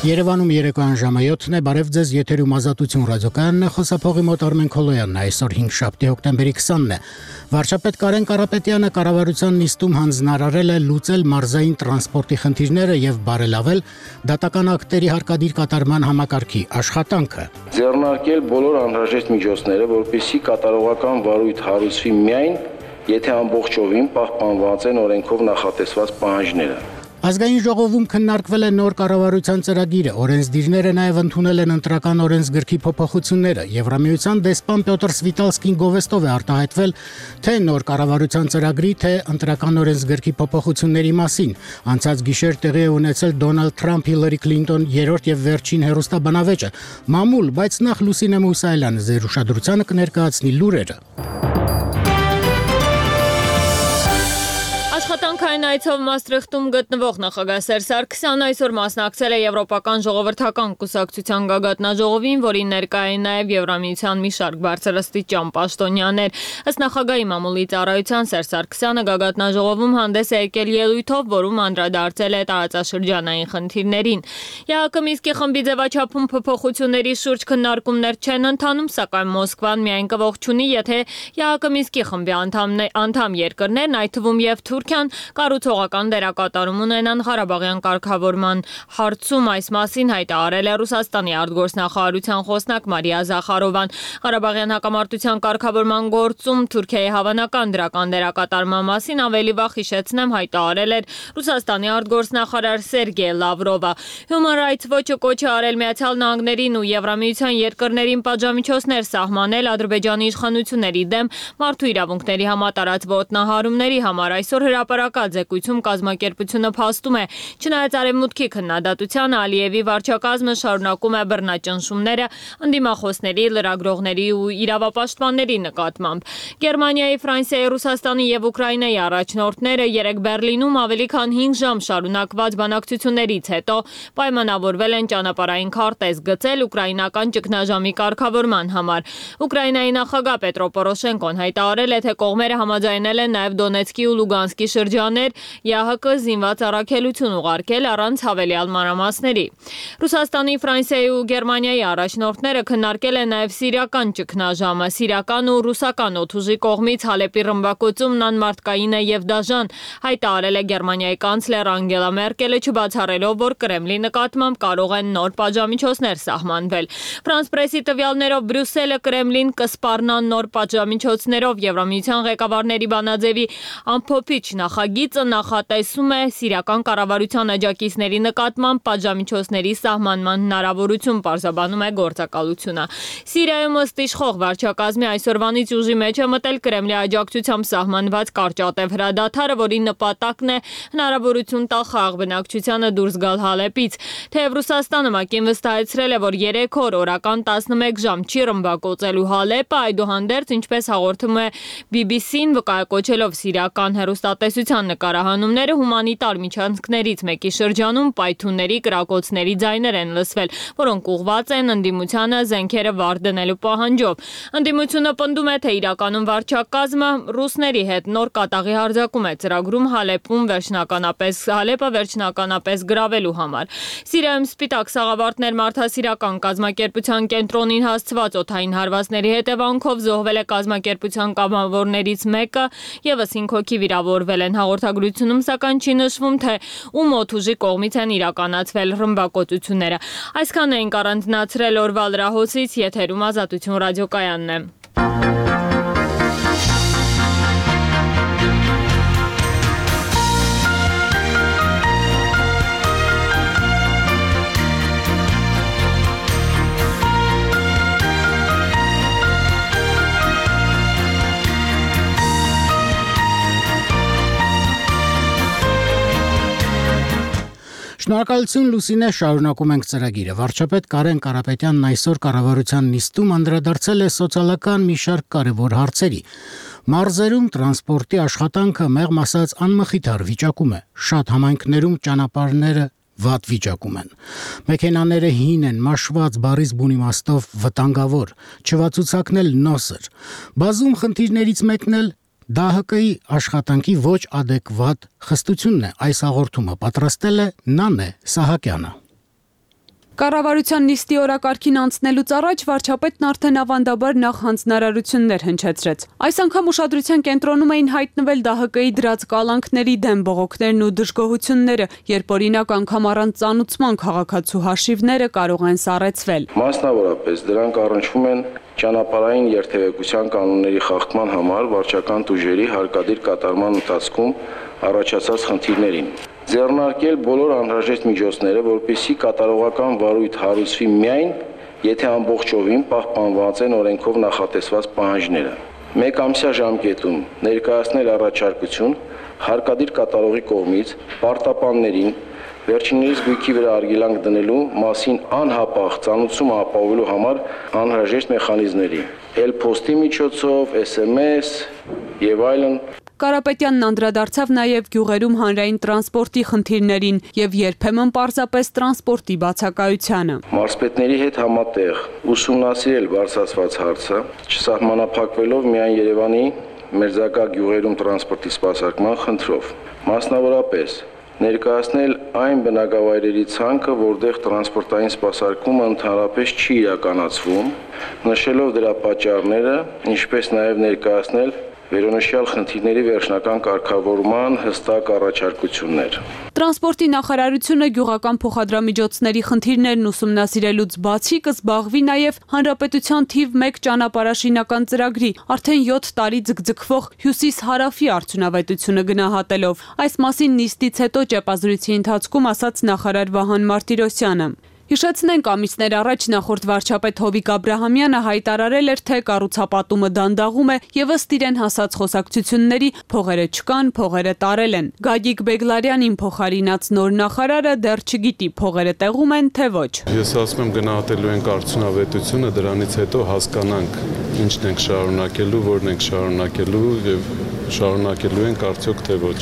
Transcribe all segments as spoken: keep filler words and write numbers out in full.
Երևանում երեկոյան ժամը յոթն է, բարև ձեզ, եթերում Ազատություն ռադիոկայանն է, խոսափողի մոտ Արմեն Քոլոյանն է, այսօր հինգշաբթի հոկտեմբերի քսանն է։ Վարչապետ Կարեն Կարապետյանը կառավարության նիստում հանձնարարել է լուծել մարզային տրանսպորտի խնդիրները եւ բարելավել դատական ակտերի հարկադիր կատարման համակարգի աշխատանքը։ Ձեռնարկել բոլոր անհրաժեշտ միջոցները, որպեսզի կատարողական վարույթ հարուցվի միայն, եթե ամբողջովին պահպանված են օրենքով նախատեսված պահանջները։ Ազգային ժողովում քննարկվել է նոր կառավարության ծրագիրը, օրենսդիրները նաև ընդունել են ընտրական օրենսգրքի փոփոխությունները։ Եվրամիության դեսպան Պյոտր Սվիտալսկին գովեստով է արտահայտվել թե նոր կառավարության ծրագրի, թե ընտրական օրենսգրքի փոփոխությունների մասին։ Անցած գիշեր տեղի է ունեցել Դոնալդ Թրամփ Հիլարի Քլինտոն երրորդ եւ վերջին հեռուստաբանավեճը։ Մամուլ, բայց նախ Լուսինե Մուսայելյանը ձեր ուշադրությանը կներկայացնի լուրերը։ Աշխատանքային այցով Մաստրիխտում գտնվող նախագահ Սերժ Սարգսյանն այսօր մասնակցել է Եվրոպական ժողովրդական կուսակցության գագաթնաժողովին, որին ներկա էին նաև Եվրամիության մի շարք բարձրաստիճան պաշտոնյաներ։ Ըստ նախագահի մամուլի ծառայության Սերժ Սարգսյանը գագաթնաժողովում հանդես է եկել ելույթով, որում անդրադարձել է տարածաշրջանային խնդիրներին։ ԵԱՀԿ Մինսկի խմբի ձևաչափում փոփոխությունների շուրջ քննարկումներ չեն ընթանում, սակայն Մոսկվան միայն կողջունի, եթե ԵԱՀԿ Մինսկի խմբի անդամ երկրներն, այդ թվում եւ Թուրքիան, կառուցողական դերակատարում ունենան Ղարաբաղյան կարգավորման հարցում։ Այս մասին հայտարարել է Ռուսաստանի արտգործնախարարության խոսնակ Մարիա Զախարովան։ Ղարաբաղյան հակամարտության կարգավորման գործում Թուրքիայի հավանական դրական դերակատարման մասին ավելի վաղ հիշեցնեմ հայտարարել էր Ռուսաստանի արտգործնախարար Սերգեյ Լավրովը։ Human Rights Watch-ը կոչ է արել Միացյալ Նահանգներին ու Եվրամիության երկրներին պատժամիջոցներ սահմանել Ադրբեջանի իշխանությունների դեմ մարդու իրավունքների համատարած ոտնահարումների համար։ Այսօր հրապարակած զեկույցում կազմակերպությունը փաստում է, չնայած Արևմուտքի քննադատությանը, Ալիևի վարչակազմը շարունակում է բռնաճնշումները ընդդիմախոսների, լրագրողների ու իրավապաշտպանների նկատմամբ։ Գերմանիայի, Ֆրանսիայի, Ռուսաստանի եւ Ուկրաինայի առաջնորդները երեկ Բերլինում ավելի քան հինգ ժամ շարունակված բանակցություններից հետո պայմանավորվել են ճանապարհային քարտեզ գծել ուկրաինական ճգնաժամի կարգավորման համար։ Ուկրաինայի նախագահ Պետրո Պորոշենկոն հայտարարել է, թե կողմերը համաձայնել են նաև Դոնեցկի ու Լուգանսկի շրջաներ ԵԱՀԿ զինված առաքելություն ուղարկել առանց հավելյալ մանրամասների։ Ռուսաստանի, Ֆրանսիայի ու Գերմանիայի առաջնորդները քննարկել են նաև սիրիական ճգնաժամը։ Սիրիական ու ռուսական օդուժի կողմից Հալեպի ռմբակոծումն անմարդկային է եւ դաժան, հայտարարել է Գերմանիայի կանցլեր Անգելա Մերկելը, չբացառելով, որ Կրեմլի նկատմամբ կարող են նոր պատժամիջոցներ սահմանվել։ Ֆրանս պրեսի տվյալներով Բրյուսելը Կրեմլին կսպառնա նոր պատժամիջոցներով։ Եվրամիության ղեկավարների բանաձևի ամփոփիչ նախագիծը նախատեսում է սիրիական կառավարության աջակիցների նկատմամբ պատժամիջոցների սահմանման հնարավորություն, պարզաբանում է գործակալությունը։ Սիրիայում ըստ իշխող վարչակազմի այսօրվանից ուժի մեջ է մտել Կրեմլի աջակցությամբ սահմանված կարճատև հրադադարը, որի նպատակն է հնարավորություն տալ խաղաղ բնակչությանը դուրս գալ Հալեպից։ Թեև Ռուսաստանը ՄԱԿ-ին վստահեցրել է, որ երեք օր օրական տասնմեկ ժամ չի ռմբակոծելու Հալեպը, այդուհանդերձ, ինչպես հաղորդում է բի բի սին, վկայակոչելով սիրիական հեռուստատեսության նկարահանումները, հումանիտար միջանցքներից մեկի շրջանում պայթունների, կրակոցների ձայներ են լսվել, որոնք ուղղված են ընդդիմությանը զենքերը վար դնելու պահանջով։ Ընդդիմությունը պնդում է, թե իրականում վարչակազմը ռուսների հետ նոր կատաղի հարձակում է ծրագրում Հալեպում վերջնականապես Հալեպը վերջնականապես գրավելու համար։ Սիրիայում Սպիտակ սաղավարտներ մարդասիրական կազմակերպության կենտրոնին հասցված օդային հարվածների հետևանքով զոհվել է կազմակերպության կամավորներից մեկը, եւս հինգ հոգի վիրավորվել են։ Հաղորդագրությունում սակայն չի նշվում, թե ում օդուժի կողմից են իրականացվել ռմբակոծությունները։ Այսքան էինք առանձնացրել օրվա լրահոսից, եթերում Ազատություն ռադիոկայանն է։ Շնորհակալություն Լուսինե, շարունակում ենք ծրագիրը։ Վարչապետ Կարեն Կարապետյանն այսօր կառավարության նիստում անդրադարձել է սոցիալական մի շարք կարևոր հարցերի։ Մարզերում տրանսպորտի աշխատանքը մեղմ ասած անմխիթար վիճակում է։ Շատ համայնքներում ճանապարհները վատ վիճակում են։ Մեքենաները հին են, մաշված, բառից բուն իմաստով վտանգավոր, չվացուցակն էլ նոսր։ Բազում խնդիրներից մեկն էլ ԴԱՀԿ-ի աշխատանքի ոչ ադեկվատ խստությունն է։ Այս հաղորդումը պատրաստել է Նանե Սահակյանը։ Կառավարության նիստի օրակարգին անցնելուց առաջ վարչապետն արդեն ավանդաբար նախ հանձնարարություններ հնչեցրեց։ Այս անգամ ուշադրության կենտրոնում էին հայտնվել ԴՀԿ-ի դրած կալանքների դեմ բողոքներն ու դժգոհությունները, երբ օրինակ անգամ առանց ծանուցման քաղաքացու հաշիվները կարող են սառեցվել։ Մասնավորապես դրանք առնչվում են ճանապարհային երթևեկության կանոնների խախտման համար վարչական տուժերի հարկադիր կատարման ընթացքում առաջացած խնդիրներին։ Ձեռնարկել բոլոր անհրաժեշտ միջոցները, որպեսզի կատարողական վարույթ հարուցվի միայն, եթե ամբողջովին պահպանված են օրենքով նախատեսված պահանջները։ Մեկ ամսյա ժամկետում ներկայացնել առաջարկություն հարկադիր կատարողի կողմից պարտապաններին վերջիններիս գույքի վրա արգելանք դնելու մասին անհապաղ ծանուցումը ապահովելու համար անհրաժեշտ մեխանիզմների, էլ-փոստի միջոցով, էս էմ էս եւ այլն։ Կարապետյանն անդրադարձավ նաև գյուղերում հանրային տրանսպորտի խնդիրներին եւ երբեմն պարզապես տրանսպորտի բացակայությանը։ Մարզպետների հետ համատեղ ուսումնասիրել բարձրացված հարցը, չսահմանափակվելով միայն Երևանի մերձակա գյուղերում տրանսպորտի սպասարկման խնդրով։ Մասնավորապես ներկայացնել այն բնակավայրերի ցանկը, որտեղ տրանսպորտային սպասարկումը ընդհանրապես չի իրականացվում, նշելով դրա պատճառները, ինչպես նաև ներկայացնել վերոնշյալ խնդիրների վերջնական կարգավորման հստակ առաջարկություններ։ Տրանսպորտի նախարարությունը գյուղական փոխադրամիջոցների խնդիրներն ուսումնասիրելուց բացի կզբաղվի նաև հանրապետության թիվ մեկ ճանապարհաշինական ծրագրի արդեն յոթ տարի ձգձգվող հյուսիս-հարավի արդյունավետությունը գնահատելով։ Այս մասին նիստից հետո ճեպազրույցի ընթացքում ասաց նախարար Վահան Մարտիրոսյանը։ Հիշեցնենք, ամիսներ առաջ նախորդ վարչապետ Հովիկ Աբրահամյանը հայտարարել էր, թե կառուցապատումը դանդաղում է եւ ըստ իրեն հասած խոսակցությունների փողերը չկան, փողերը տարել են։ Գագիկ Բեգլարյանին փոխարինած նոր նախարարը դեռ չգիտի փողերը տեղում են, թե ոչ։ Ես ասում եմ գնահատելու ենք արդյունավետությունը, դրանից հետո հասկանանք ինչն ենք շարունակելու, որն ենք շարունակելու եւ շարունակելու ենք արդյոք թե ոչ։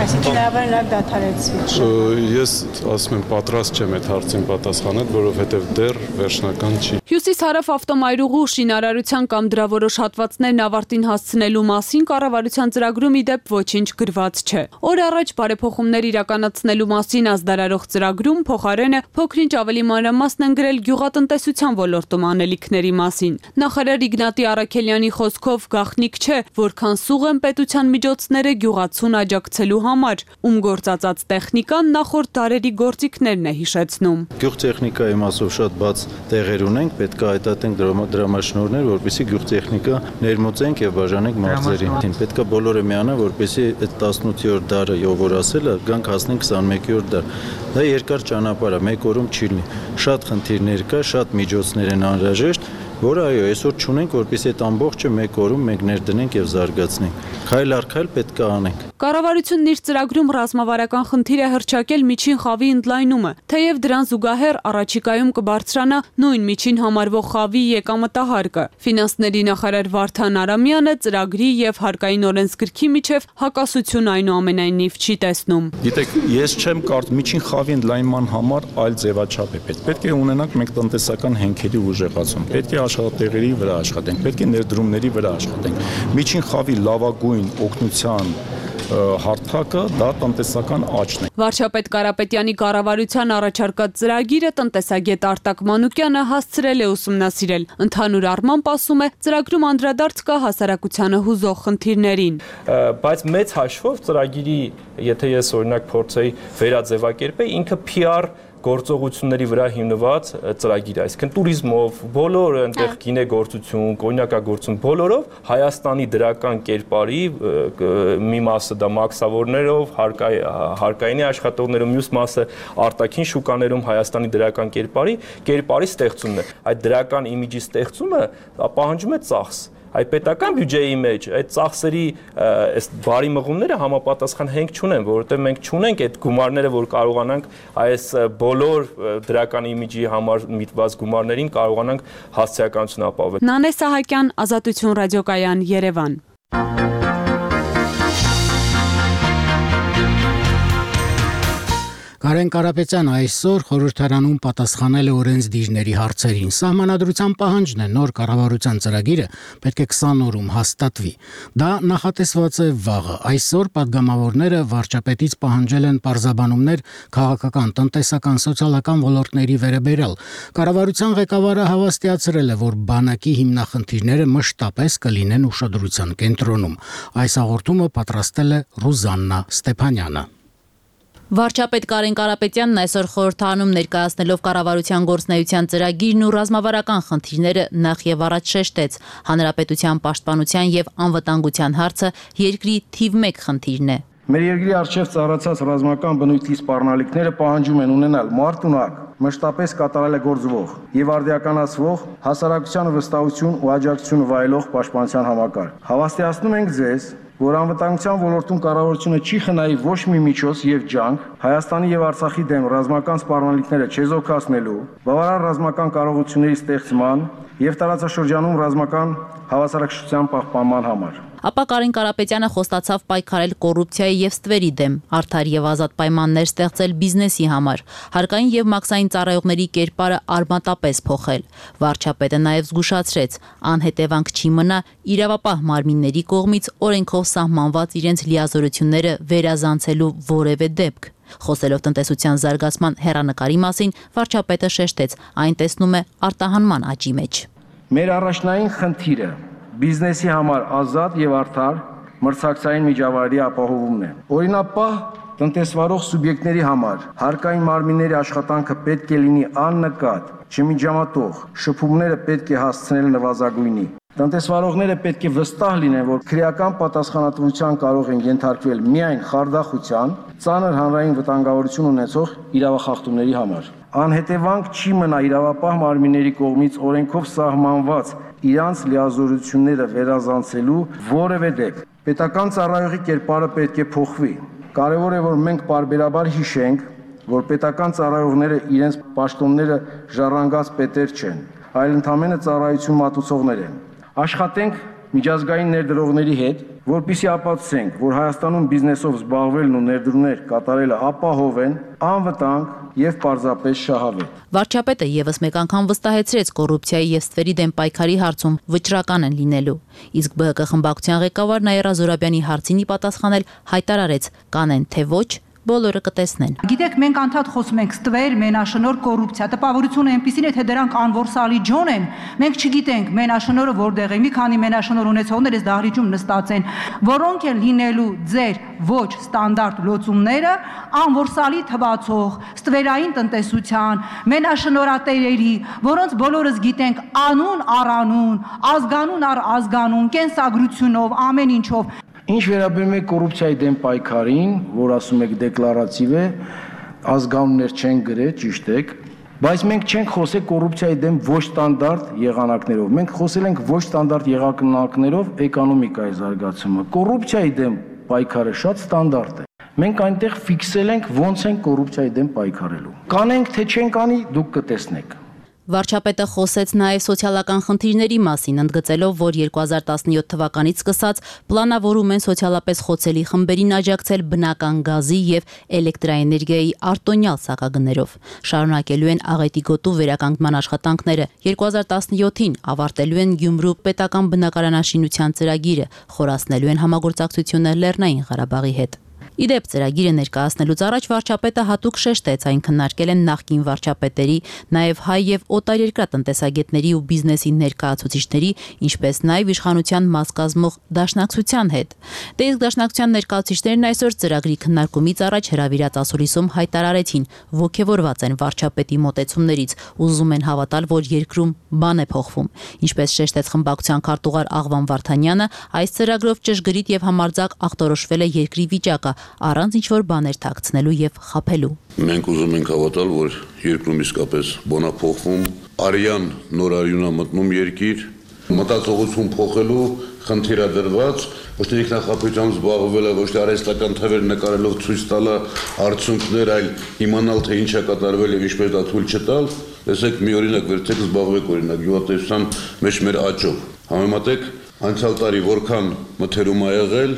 Այսինքն լավ դադարեցվի։ Ես ասում եմ պատրաստ չեմ այդ հարցին պատասխանել, որովհետև դեռ վերջնական չի։ Հյուսիս-հարավ ավտոմայրուղու շինարարության կամ դրա որոշ հատվածներն ավարտին հասցնելու մասին կառավարության ծրագրում ի դեպ ոչինչ գրված չէ։ Օր առաջ բարեփոխումներ իրականացնելու մասին ազդարարող ծրագրում փոխարենը փոքրինչ ավելի մանրամասն են գրել գյուղատնտեսության ոլորտում անելիքների մասին։ Նախարար Իգնատի Առաքելյանի խոսքով գաղտնիք չէ, որքան սուղ են պետության միջոցները գյուղացուն աջակցելու համար, ում գործածած տեխնիկան նախորդ դարերի գործիքներն է հիշեցնում։ Գյուղտեխնիկայի մասով շատ բաց տեղեր ունենք, պետք է հայտատենք դրամաշնորհներ, որպեսզի գյուղտեխնիկա ներմուծենք եւ բաժանենք մարզերին։ Պետք է բոլորը միանան, որպեսզի այդ տասնութերորդ դարը, ով որ ասել է, գանք հասնենք քսանմեկերորդ դար։ Դա երկար ճանապարհ է, մեկ օրում չի լինի։ Շատ խնդիրներ կա, շատ միջոցներ են անհրաժեշտ, որը այո, այսօր չունենք, որպեսզի այդ ամբողջը մեկ օրում մենք ներդնենք եւ զարգացնենք։ Քայլ առ քայլ պետք է անենք։ Կառավարությունն իր ծրագրում ռազմավարական խնդիր է հռչակել միջին խավի ընդլայնումը, թեև դրան զուգահեռ առաջիկայում կբարձրանա նույն միջին համարվող խավի եկամտահարկը։ Ֆինանսների նախարար Վարդան Արամյանը ծրագրի եւ հարկային օրենսգրքի միջև հակասություն այնուամենայնիվ չի տեսնում։ Գիտեք, ես չեմ կարծում միջին խավի ընդլայնման համար այլ ձևաչափ է պետք։ Պետք է ունենանք մենք տնտեսական հենքերի ուժեղացում։ Պետք է աշխատատեղերի վրա աշխատենք, պետք է ներդրումների վրա աշխատենք։ Միջին խավի լավագույն օգնության հարթակը դա տնտեսական աճն է։ Վարչապետ Կարապետյանի կառավարության առաջարկած ծրագիրը տնտեսագետ Արտակ Մանուկյանը հասցրել է ուսումնասիրել։ Ընդհանուր առմամբ ասում է, ծրագրում անդրադարձ կա հասարակությանը հուզող խնդիրներին։ Բայց մեծ հաշվով ծրագիրի, եթե ես օրինակ փորձեի վերաձևակերպել, ինքը P R գործողությունների վրա հիմնված ծրագիր է, այսինքն туриզմով, բոլոր այնտեղ գինեգործություն, կոնյակագործություն, բոլորով Հայաստանի դրական կերպարի մի մասը դա մաքսավորներով, հարկայինի աշխատողներով, մյուս մասը արտաքին շուկաներում Հայաստանի դրական կերպարի կերպարի ստեղծումն է։ Այդ դրական իմիջի ստեղծումը պահանջում է ծախս։ Այդ պետական բյուջեի մեջ այդ ծախսերի այս բարի մղումները համապատասխան հենք չունեն, որովհետև մենք չունենք այդ գումարները, որ կարողանանք այս բոլոր դրական իմիջի համար միտված գումարներին կարողանանք հասցեականություն ապահովել։ Նանե Սահակյան, Ազատություն ռադիոկայան, Երևան։ Կարեն Կարապետյան այսօր խորհրդարանում պատասխանել է օրենսդիրների հարցերին։ Սահմանադրության պահանջն է նոր կառավարության ծրագիրը պետք է քսան օրում հաստատվի։ Դա նախատեսված է վաղը։ Այսօր падգամավորները վարչապետից պահանջել են պարզաբանումներ քաղաքական, տնտեսական, սոցիալական ոլորտների վերաբերյալ։ Կառավարության ղեկավարը հավաստիացրել է, որ բանակի հիմնախնդիրները մշտապես կլինեն ուշադրության կենտրոնում։ Այս հաղորդումը պատրաստել է Ռուզաննա Ստեփանյանը։ Վարչապետ Կարեն Կարապետյանն այսօր խորհրդարանում ներկայացնելով կառավարության գործունեության ծրագիրն ու ռազմավարական խնդիրները նախ եւ առաջ շեշտեց. հանրապետության պաշտպանության եւ անվտանգության հարցը երկրի թիվ մեկ խնդիրն է։ Մեր երկրի առջև ծառացած ռազմական բնույթի սպառնալիքները պահանջում են ունենալ մարդունակ, մշտապես կատարելագործվող եւ արդիականացվող հասարակությանը վստահություն ու աջակցություն վայելող պաշտպանության համակարգ։ Հավաստիացնում ենք ձեզ, որ անվտանգության ոլորտում կառավարությունը չի խնայի ոչ մի միջոց եւ ջանք Հայաստանի եւ Արցախի դեմ ռազմական սպառնալիքները չեզոքացնելու, բավարար ռազմական կարողությունների ստեղծման եւ տարածաշրջանում ռազմական հավասարակշռության պահպանման համար։ Ապա Կարեն Կարապետյանը խոստացավ պայքարել կոռուպցիայի եւ ստվերի դեմ, արդար եւ ազատ պայմաններ ստեղծել բիզնեսի համար, հարկային եւ մաքսային ծառայողների կերպարը արմատապես փոխել։ Վարչապետը նաեւ զգուշացրեց, անհետևանք չի մնա իրավապահ մարմինների կողմից օրենքով սահմանված իրենց լիազորությունները վերազանցելու որևէ դեպք։ Խոսելով տնտեսության զարգացման հեռանկարի մասին, վարչապետը շեշտեց, այն տեսնում է արտահանման աճի մեջ։ Մեր առաջնային խնդիրը բիզնեսի համար ազատ եւ արդար մրցակցային միջավայրի ապահովումն է։ Օրինապահ տնտեսվարող սուբյեկտների համար հարկային մարմինների աշխատանքը պետք է լինի աննկատ, չմիջամտող, շփումները պետք է հասցնել նվազագույնի։ Տնտեսվարողները պետք է վստահ լինեն, որ քրեական պատասխանատվության կարող են ենթարկվել միայն խարդախության, ծանր հանրային վտանգավորություն ունեցող իրավախախտումների համար։ Անհետևանք չի մնա իրավապահ մարմինների կողմից օրենքով սահմանված իրանց լիազորությունները վերազանցելու որևէ դեպք։ Պետական ծառայողի կերպարը պետք է փոխվի։ Կարևոր է, որ մենք պարբերաբար հիշենք, որ պետական ծառայողները իրենց պաշտոնները ժառանգած պետեր չեն, այլ ընդամենը ծառայություն մատուցողներ են։ Աշխատենք միջազգային ներդրողների հետ, որպեսզի ապացուցենք, որ Հայաստանում բիզնեսով զբաղվելն ու ներդրումներ կատարելը ապահով են, անվտանգ եւ պարզապես շահավետ։ Վարչապետը եւս մեկ անգամ վստահեցրեց կոռուպցիայի եւ ստվերի դեմ պայքարի հարցում վճռական են լինելու։ Իսկ ԲՀԿ խմբակցության ղեկավար Նաիրա Զորաբյանի հարցինի պատասխանել հայտարարեց՝ կանեն թե ոչ, բոլորը կտեսնեն։ Գիտեք, մենք անդադ խոսում ենք ստվեր, մենաշնոր, կոռուպցիա, տպավորությունը այնպեսին է, թե դրանք անորսալի ջոն են։ Մենք չգիտենք մենաշնորը որտեղ է, մի քանի մենաշնոր ունեցողներ էս դահլիճում նստած են, որոնք են լինելու ձեր ոչ ստանդարտ լոծումները, անորսալի թվացող, ստվերային տնտեսության, մենաշնորատերերի, որոնց բոլորս գիտենք անուն առ անուն, ազգանուն առ ազգանուն, կենսագրությունով, ամեն ինչով։ Ինչ վերաբերում է կոռուպցիայի դեմ պայքարին, որ ասում եք դեկլարատիվ է, ազգանուններ չեն գրել, ճիշտ եք, բայց մենք չենք խոսել կոռուպցիայի դեմ ոչ ստանդարտ եղանակներով։ Մենք խոսել ենք ոչ ստանդարտ եղանակներով էկոնոմիկայի զարգացումը։ Կոռուպցիայի դեմ պայքարը շատ ստանդարտ է։ Մենք այնտեղ ֆիքսել ենք ոնց են կոռուպցիայի դեմ պայքարելու։ Կանենք թե չենք անի, դուք կտեսնեք։ Վարչապետը խոսեց նաև սոցիալական խնդիրների մասին, ընդգծելով, որ երկու հազար տասնյոթ թվականից սկսած պլանավորում են սոցիալապես խոցելի խմբերին աջակցել բնական գազի եւ էլեկտրաէներգիայի արտոնյալ սակագներով։ Շարունակելու են աղետի գոտու վերականգնման աշխատանքները։ երկու հազար տասնյոթին ավարտելու են Գյումրու պետական բնակարանաշինության ծրագիրը, խորացնելու են համագործակցությունը Լեռնային Ղարաբաղի հետ։ Իդեպ ծրագիրը ներկայացնելուց առաջ վարչապետը հատուկ շեշտեց, այն քննարկել են նախկին վարչապետերի, նաև հայ եւ օտարերկրյա տնտեսագետների ու բիզնեսի ներկայացուցիչների, ինչպես նաև իշխանության մաս կազմող դաշնակցության հետ։ Դե իսկ դաշնակցության ներկայացուցիչներն այսօր ծրագրի քննարկումից առաջ հրավիրած ասուլիսում հայտարարեցին, ողջևորված են վարչապետի մոտեցումներից, ուզում են հավատալ, որ երկրում բան է փոխվում։ Ինչպես շեշտեց խմբակցության քարտուղար Աղվան Վարդանյանը, այս ծրագրով ճշգրիտ եւ համարձակ ախտորոշվել է երկրի վիճակը, առանց ինչ-որ բաներ թաքցնելու եւ խաբելու։ Մենք ուզում ենք հավատալ, որ երկրում իսկապես բան է փոխվում, արյան նոր արյուն է մտնում երկիր, մտածողություն փոխելու խնդիր է դրված, ոչ թե ինքնախապույցությամբ զբաղվել է, ոչ թե արհեստական թվեր նկարելով ցույց տալը արդյունքներ, այլ իմանալ թե ինչ է կատարվել եւ ինչպես դա թույլ չտալ։ Տեսեք, մի օրինակ վերցեք, զբաղվեք օրինակ գյուղատնտեսության մեջ մեր աճով։ Համեմատեք անցյալ տարի որքան մթերում ա եղել,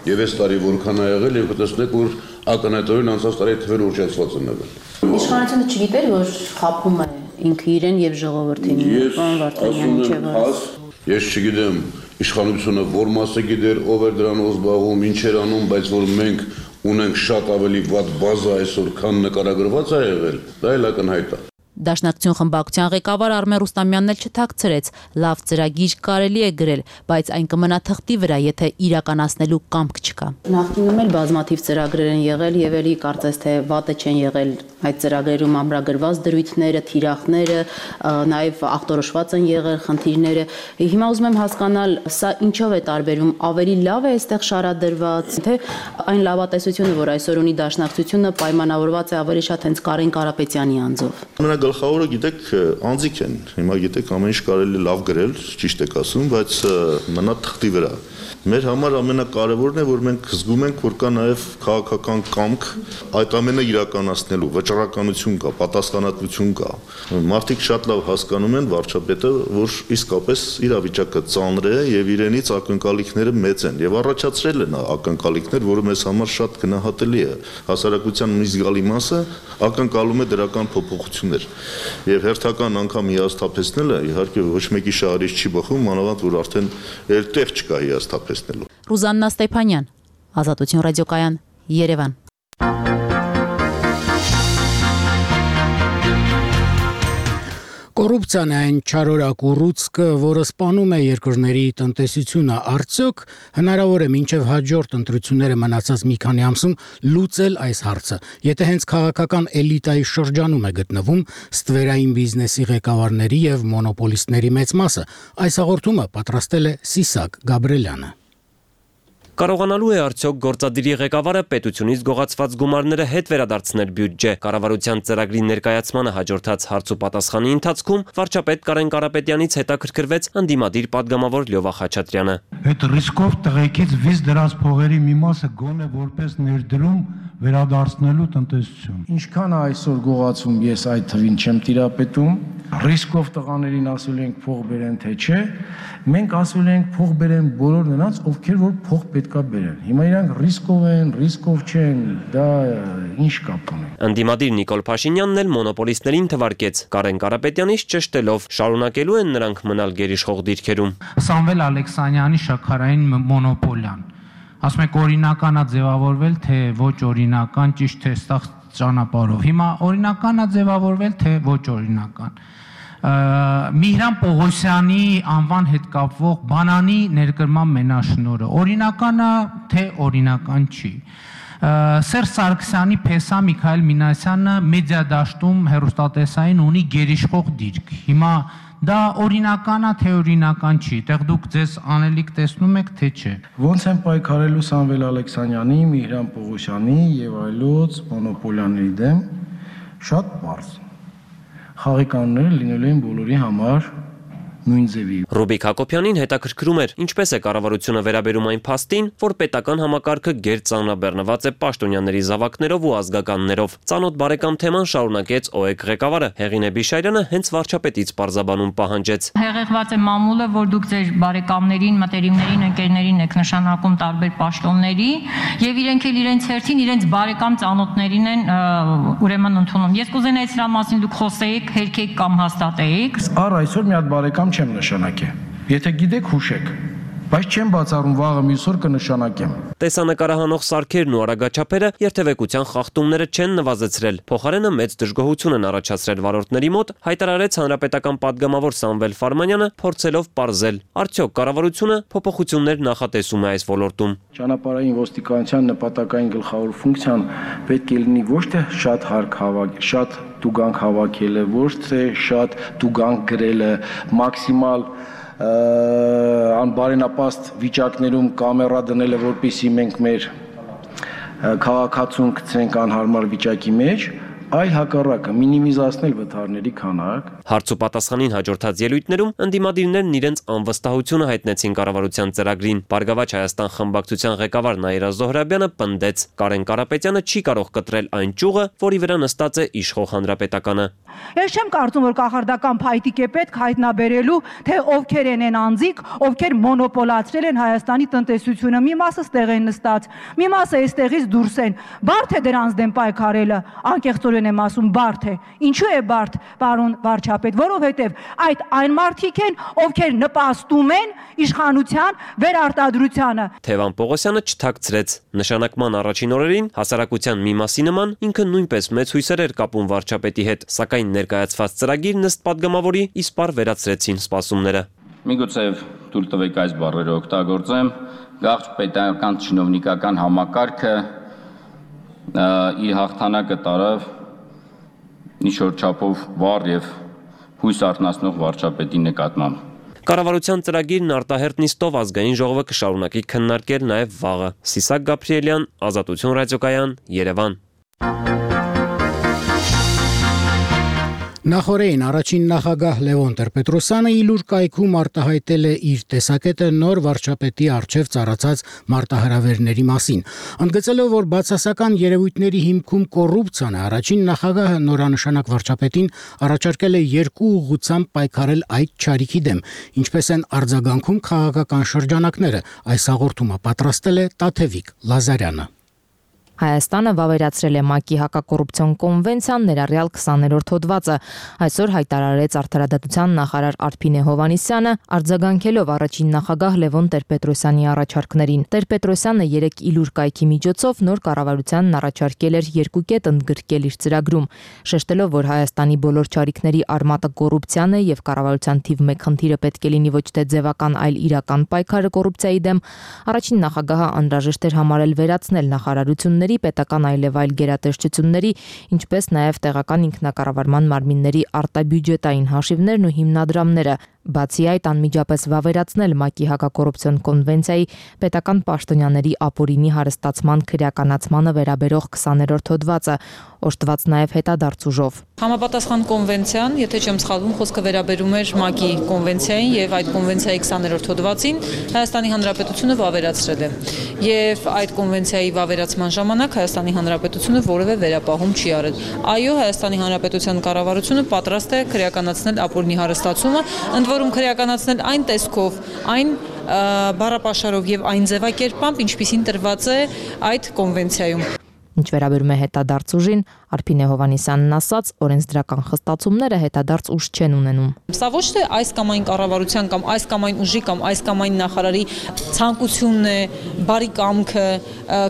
եւ այս տարի որքան ա եղել, եւ կտեսնեք, որ ակնհայտորեն անցած տարի թվերը ուժացված են եղել։ Իշխանությունը չգիտեր, որ խաբում է ինքը իրեն եւ ժողովրդին։ Պարոն Վարդանյանը չէ՞ որ։ Ես չգիտեմ իշխանությունը որ մասը գիտեր, ով էր դրանով զբաղվում, ինչ էր անում, բայց որ մենք ունենք շատ ավելի վատ բազա այսօր, քան նկարագրված է եղել, դա էլ ակնհայտ է։ Դաշնակցություն խմբակցության ղեկավար Արմեն Ռուստամյանն էլ չթաքցրեց, լավ ծրագիր կարելի է գրել, բայց այն կմնա թղթի վրա, եթե իրականացնելու կամք չկա։ Նախկինում էլ բազմաթիվ ծրագրեր են եղել եւ էլի կարծես թե վատը չեն եղել այդ ծրագրերում ամրագրված դրույթները, թիրախները, նաեւ ախտորոշված են եղել խնդիրները։ Հիմա ուզում եմ հասկանալ, սա ինչով է տարբերվում, ավելի լավ է այստեղ շարադրված, թե այն լավատեսությունը, որ այսօր ունի Դաշնակցությունը, պայմանավորված է ավելի շատ հենց Կարեն Կարապետյանի անձով։ Գլխավորը գիտեք անձիկ են, հիմա գիտեք ամեն ինչ կարելի լավ գրել, ճիշտ եք ասում, բայց մնա թղթի վրա։ Մեր համար ամենակարևորն է, որ մենք զգում ենք, որ կա նաև քաղաքական կամք այդ ամենը իրականացնելու, վճռականություն կա, պատասխանատվություն կա։ Մարդիկ շատ լավ հասկանում են վարչապետը, որ իսկապես իրավիճակը ծանր է եւ իրենից ակնկալիքները մեծ են եւ առաջացրել են ակնկալիքներ, որը մեզ համար շատ գնահատելի է։ Հասարակության մի զգալի մասը ակնկալում է դրական փոփոխություններ եւ հերթական անգամ հիասթափեցնելը իհարկե ոչ մեկի շահերից չի բխում, մանավանդ որ արդեն էլ տեղ չկա հիասթափեցնելու։ Ռուզաննա Ստեփանյան, Ազատություն ռադիոկայան, Երևան։ Կոռուպցիան է այն չարորակ ուռուցքը, որը սպանում է երկրների տնտեսությունը, արդյոք հնարավոր է մինչև հաջորդ ընտրությունները մնացած մի քանի ամսում լուծել այս հարցը, եթե հենց քաղաքական էլիտայի շրջանում է գտնվում ստվերային բիզնեսի ղեկավարների եւ մոնոպոլիստների մեծ մասը, այս հաղորդումը պատրաստել է Սիսակ Գաբրելյանը։ Կարողանալու է արդյոք գործադիրի ղեկավարը պետությունից գողացված գումարները հետ վերադարձնել բյուջե։ Կառավարության ծրագրի ներկայացմանը հաջորդած հարց ու պատասխանի ընթացքում վարչապետ Կարեն Կարապետյանից հետաքրքրվեց ընդդիմադիր падգամավոր Լյովա Խաչատրյանը։ Այդ ռիսկով տղեկից վիզ դրած փողերի մի մասը գոնե որպես ներդրում վերադարձնելու տնտեսություն։ Ինչքան է այսօր գողացում, ես այդ թվին չեմ տիրապետում։ Ռիսկով տղաներին ասել ենք փող բերեն թե չէ, մենք ասել ենք փող բերեն բոլոր նրանց, ովքեր որ փող պետքա բերեն։ Հիմա իրանք ռիսկով են, ռիսկով չեն, դա ինչ կապ ունի։ Ընդդիմադիր Նիկոլ Փաշինյանն էլ մոնոպոլիստներին թվարկեց Կարեն Կարապետյանից ճշտելով, շարունակելու են նրանք մնալ գերիշխող դիրքերում։ Սամվել Ալեքսանյանի շաքարային մոնոպոլիան։ Ասում եք օրինականա ձևավորվել, թե ոչ օրինական, ճիշտ թե ստախ ճանապարհով։ Հիմա օրինականա ձևավորվել, թե ոչ օրինական։ Միհրան Պողոսյանի անվան հետ կապվող բանանի ներկրման մենաշնորհը օրինականա, թե օրինական չի։ Սերժ Սարգսյանի փեսա Միքայել Մինասյանը մեդիա դաշտում հեռուստատեսային ունի գերիշխող դիրք։ Հիմա դա օրինականա, թե օրինական չի, տեղ դուք ձեզ անելիք տեսնում եք, թե չէ։ Ոնց են պայքարելու Սամվել Ալեքսանյանի, Միհրան Պողոսյանի եւ այլոց մոնոպոլիաների դեմ, շատ պարզ։ Խաղի կանոնները լինելու են բոլորի համար նույն ձևի։ Ռուբիկ Հակոբյանին հետաքրքրում էր, ինչպես է կառավարությունը վերաբերում այն փաստին, որ պետական համակարգը գերծանրաբեռնված է պաշտոնյաների զավակներով ու ազգականներով։ Ծանոթ բարեկամ թեման շարունակեց ՕԵԿ ղեկավարը Հեղինե Բիշայրյանը հենց վարչապետից պարզաբանում պահանջեց։ Հեղեղված է մամուլը, որ դուք ձեր բարեկամներին, մտերիմներին, ընկերներին եք նշանակում տարբեր պաշտոնների եւ իրենք էլ իրենց հերթին իրենց բարեկամ ծանոթներին են ուրեմն ընդունում։ Ես կուզենայի սրա մասին դուք խոսեիք, հերքեիք կամ հաստատեիք։ Առ այսօր մի հատ բարեկամ չեմ նշանակե։ Եթե գիտեք, հուշեք, բայց չեմ բացառում վաղը մյուս օր կնշանակեմ։ Տեսանկարահանող սարքերն ու արագաչափերը երթևեկության խախտումները չեն նվազեցրել։ Փոխարենը մեծ դժգոհություն են առաջացրել վարորդների մոտ, հայտարարեց հանրապետական падգամավոր Սամվել Ֆարմանյանը, փորձելով պարզել, արդյոք կառավարությունը փոփոխություններ նախատեսում է այս ոլորտում։ Ճանապարհային ոստիկանության նպատակային գլխավոր ֆունկցիան պետք է լինի ոչ թե շատ հարկ հավաք, շատ տուգանք հավաքելը, ոչ թե շատ տուգանք գրելը, մաքսիմալ անբարենապաստ վիճակներում կամերա դնելը, որպեսզի մենք մեր քաղաքացուն գցենք անհարմար վիճակի մեջ, այլ հակառակը մինիմիզացնել վթարների քանակ։ Հարց ու պատասխանին հաջորդած ելույթներում ընդդիմադիրներն իրենց անվստահությունը հայտնեցին կառավարության ծրագրին։ Բարգավաճ Հայաստան խմբակցության ղեկավար Նաիրա Զոհրաբյանը պնդեց. Կարեն Կարապետյանը չի կարող կտրել այն ճյուղը, որի վրա նստած է իշխող հանրապետականը։ Ես չեմ կարծում, որ կախարդական փայտիկ է պետք հայտնաբերելու, թե ովքեր են են անձիկ, ովքեր մոնոպոլացրել են Հայաստանի տնտեսությունը։ Մի մասը ստեղ են նստած, մի մասը այստեղից դուրս են։ Բարդ է դրանց դեմ պայքարելը, անկեղծորեն եմ ասում, բարդ է։ Ինչու է բարդ, պարոն վարչապետ, որովհետև այդ այն մարդիկ են, ովքեր նպաստում են իշխանության վերարտադրությանը։ Թևան Պողոսյանը չթաքցրեց. նշանակման առաջին օրերին հասարակության մի մասի նման ինքը նույնպես մեծ հույսեր էր կապում վարչապետի հետ, սակայն ներկայացված ծրագիրն ըստ падգամավորի իսպառ վերացրեցին սպասումները։ Միգուցե թույլ տվեք այս բառերը օգտագործեմ, գաղթ պետական չինովնիկական համակարգը իր հաղթանակը տարավ ինչ-որ չափով վառ եւ հույս արթնացնող վարչապետի նկատմամբ։ Կառավարության ծրագիրն արտահերտ նիստով ազգային ժողովը կշարունակի քննարկել նաև վաղը։ Սիսակ Գաբրիելյան, Ազատություն ռադիոկայան, Երևան։ Նախորդին առաջին նախագահ Լևոն Տեր-Պետրոսյանը իլուր կայքում արտահայտել է իր տեսակետը նոր վարչապետի առջև ծառացած մարտահրավերների մասին, ընդգծելով, որ բացասական երևույթների հիմքում կոռուպցիան է, առաջին նախագահը նորանշանակ վարչապետին առաջարկել է երկու ուղղությամբ պայքարել այդ չարիքի դեմ, ինչպես են արձագանքում քաղաքական շրջանակները, այս հաղորդումը պատրաստել է Տաթևիկ Լազարյանը։ Հայաստանը վավերացրել է ՄԱԿ-ի հակակոռուպցիոն կոնվենցիան ներառյալ քսաներորդ հոդվածը։ Այսօր հայտարարեց Արդարադատության նախարար Արփինե Հովհաննիսյանը, արձագանքելով առաջին նախագահ Լևոն Տեր-Պետրոսյանի առաջարկներին։ Տեր-Պետրոսյանը երեք իլուր կայքի միջոցով նոր կառավարությանն առաջարկել էր երկու կետ ընդգրկել իր ծրագրում, շեշտելով, որ Հայաստանի բոլոր չարիքների արմատը կոռուպցիան է եւ կառավարության թիվ մեկ խնդիրը պետք է լինի ոչ թե ձևական, այլ իրական պայքարը կոռուպցիայի դեմ, առաջին նախագահը անհրաժեշտ էր համարել վերացնել նախարարությունների պետական այլև այլ գերատեսչությունների, ինչպես նաև տեղական ինքնակառավարման մարմինների արտաբյուջետային հաշիվներն ու հիմնադրամները, բացի այդ անմիջապես վավերացնել ՄԱԿ-ի հակակոռուպցիոն կոնվենցիայի պետական պաշտոնյաների ապօրինի հարստացման քրեականացմանը վերաբերող քսաներորդ հոդվածը, օժտված նաև հետադարձ ուժով։ Համապատասխան կոնվենցիան, եթե չեմ սխալվում, խոսքը վերաբերում էր ՄԱԿ-ի կոնվենցիային եւ այդ կոնվենցիայի քսաներորդ հոդվածին Հայաստանի Հանրապետությունը վավերացրել է։ Եվ այդ կոնվենցիայի վավերացման ժամանակ Հայաստանի Հանրապետությունը որևէ վերապահում չի արել։ Այո, Հայաստանի Հանրապետության կառավարությունը պատրաստ է քրեականացնել ապօրինի հարստացումը, ընդ որում քրեականացնել այն տեսքով, այն բառապաշարով եւ այն ձևակերպամբ, ինչպիսին տրված է այդ կոնվենցիայում։ Ինչ վերաբերում է հետադարձ ուժին, Արփինե Հովհաննիսյանն ասաց, օրենսդրական խստացումները հետադարձ ուժ չեն ունենում։ Սա ոչ թե այս կամ այն կառավարության կամ այս կամ այն ուժի կամ այս կամ այն նախարարի ցանկությունն է, բարի կամքը,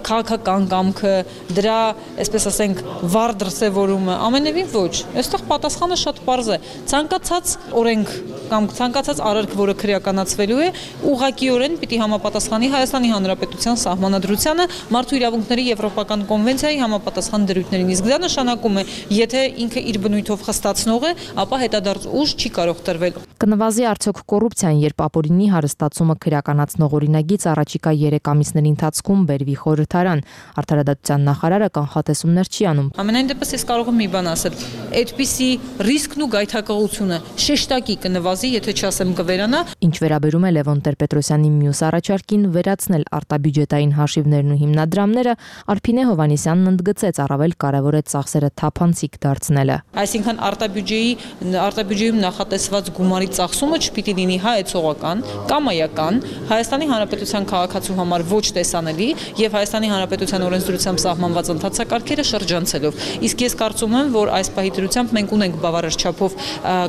քաղաքական կամքը, դրա, այսպես ասենք, վառ դրսևորումը, ամենևին ոչ։ Այստեղ պատասխանը շատ պարզ է։ Ցանկացած օրենք կամ ցանկացած արարք, որը քրեականացվելու է, ուղղակիորեն պիտի համապատասխանի Հայաստանի Հանրապետության սահմանադրությանը, մարդու իրավունքների եվրոպական կոնվենցիայի համապատասխան դրույթներին։ Իսկ դա նշանակում է, եթե ինքը իր բնույթով խստացնող է, ապա հետադարձ ուժ չի կարող տրվել։ Կնվազի արդյոք կոռուպցիան, երբ ապօրինի հարստացումը քրեականացնող օրինագիծ առաջիկա երեք ամիսների ընթացքում բերվի խորհրդարան, Արդարադատության նախարարը կանխատեսումներ չի անում։ Ամենայն դեպս ես կարող եմ մի բան ասել։ Այդպիսի ռիսկն ու գայթակղությունը շեշտակի կնվազի, եթե չասեմ կվերանա։ Ինչ վերաբերում է Լևոն Տեր-Պետրոսյանի մյուս առաջարկին վերացնել արտաբյուջետային հաշիվներն ու հիմնադրամները, Արփինե Հովհաննիսյանն ընդգծեց, առավել կարևոր է ծախսերը թափանցիկ դարձնելը։ Այսինքն արտաբյուջեի արտաբյուջեում նախատեսված գումարի ծախսումը չպիտի լինի հայեցողական, կամայական, Հայաստանի Հանրապետության քաղաքացու համար ոչ տեսանելի եւ Հայաստանի Հանրապետության օրենսդրությամբ սահմանված ընթացակարգերը շրջանցելով։ Իսկ ես կարծում եմ, որ այս պահի դրությամբ մենք ունենք բավարար չափով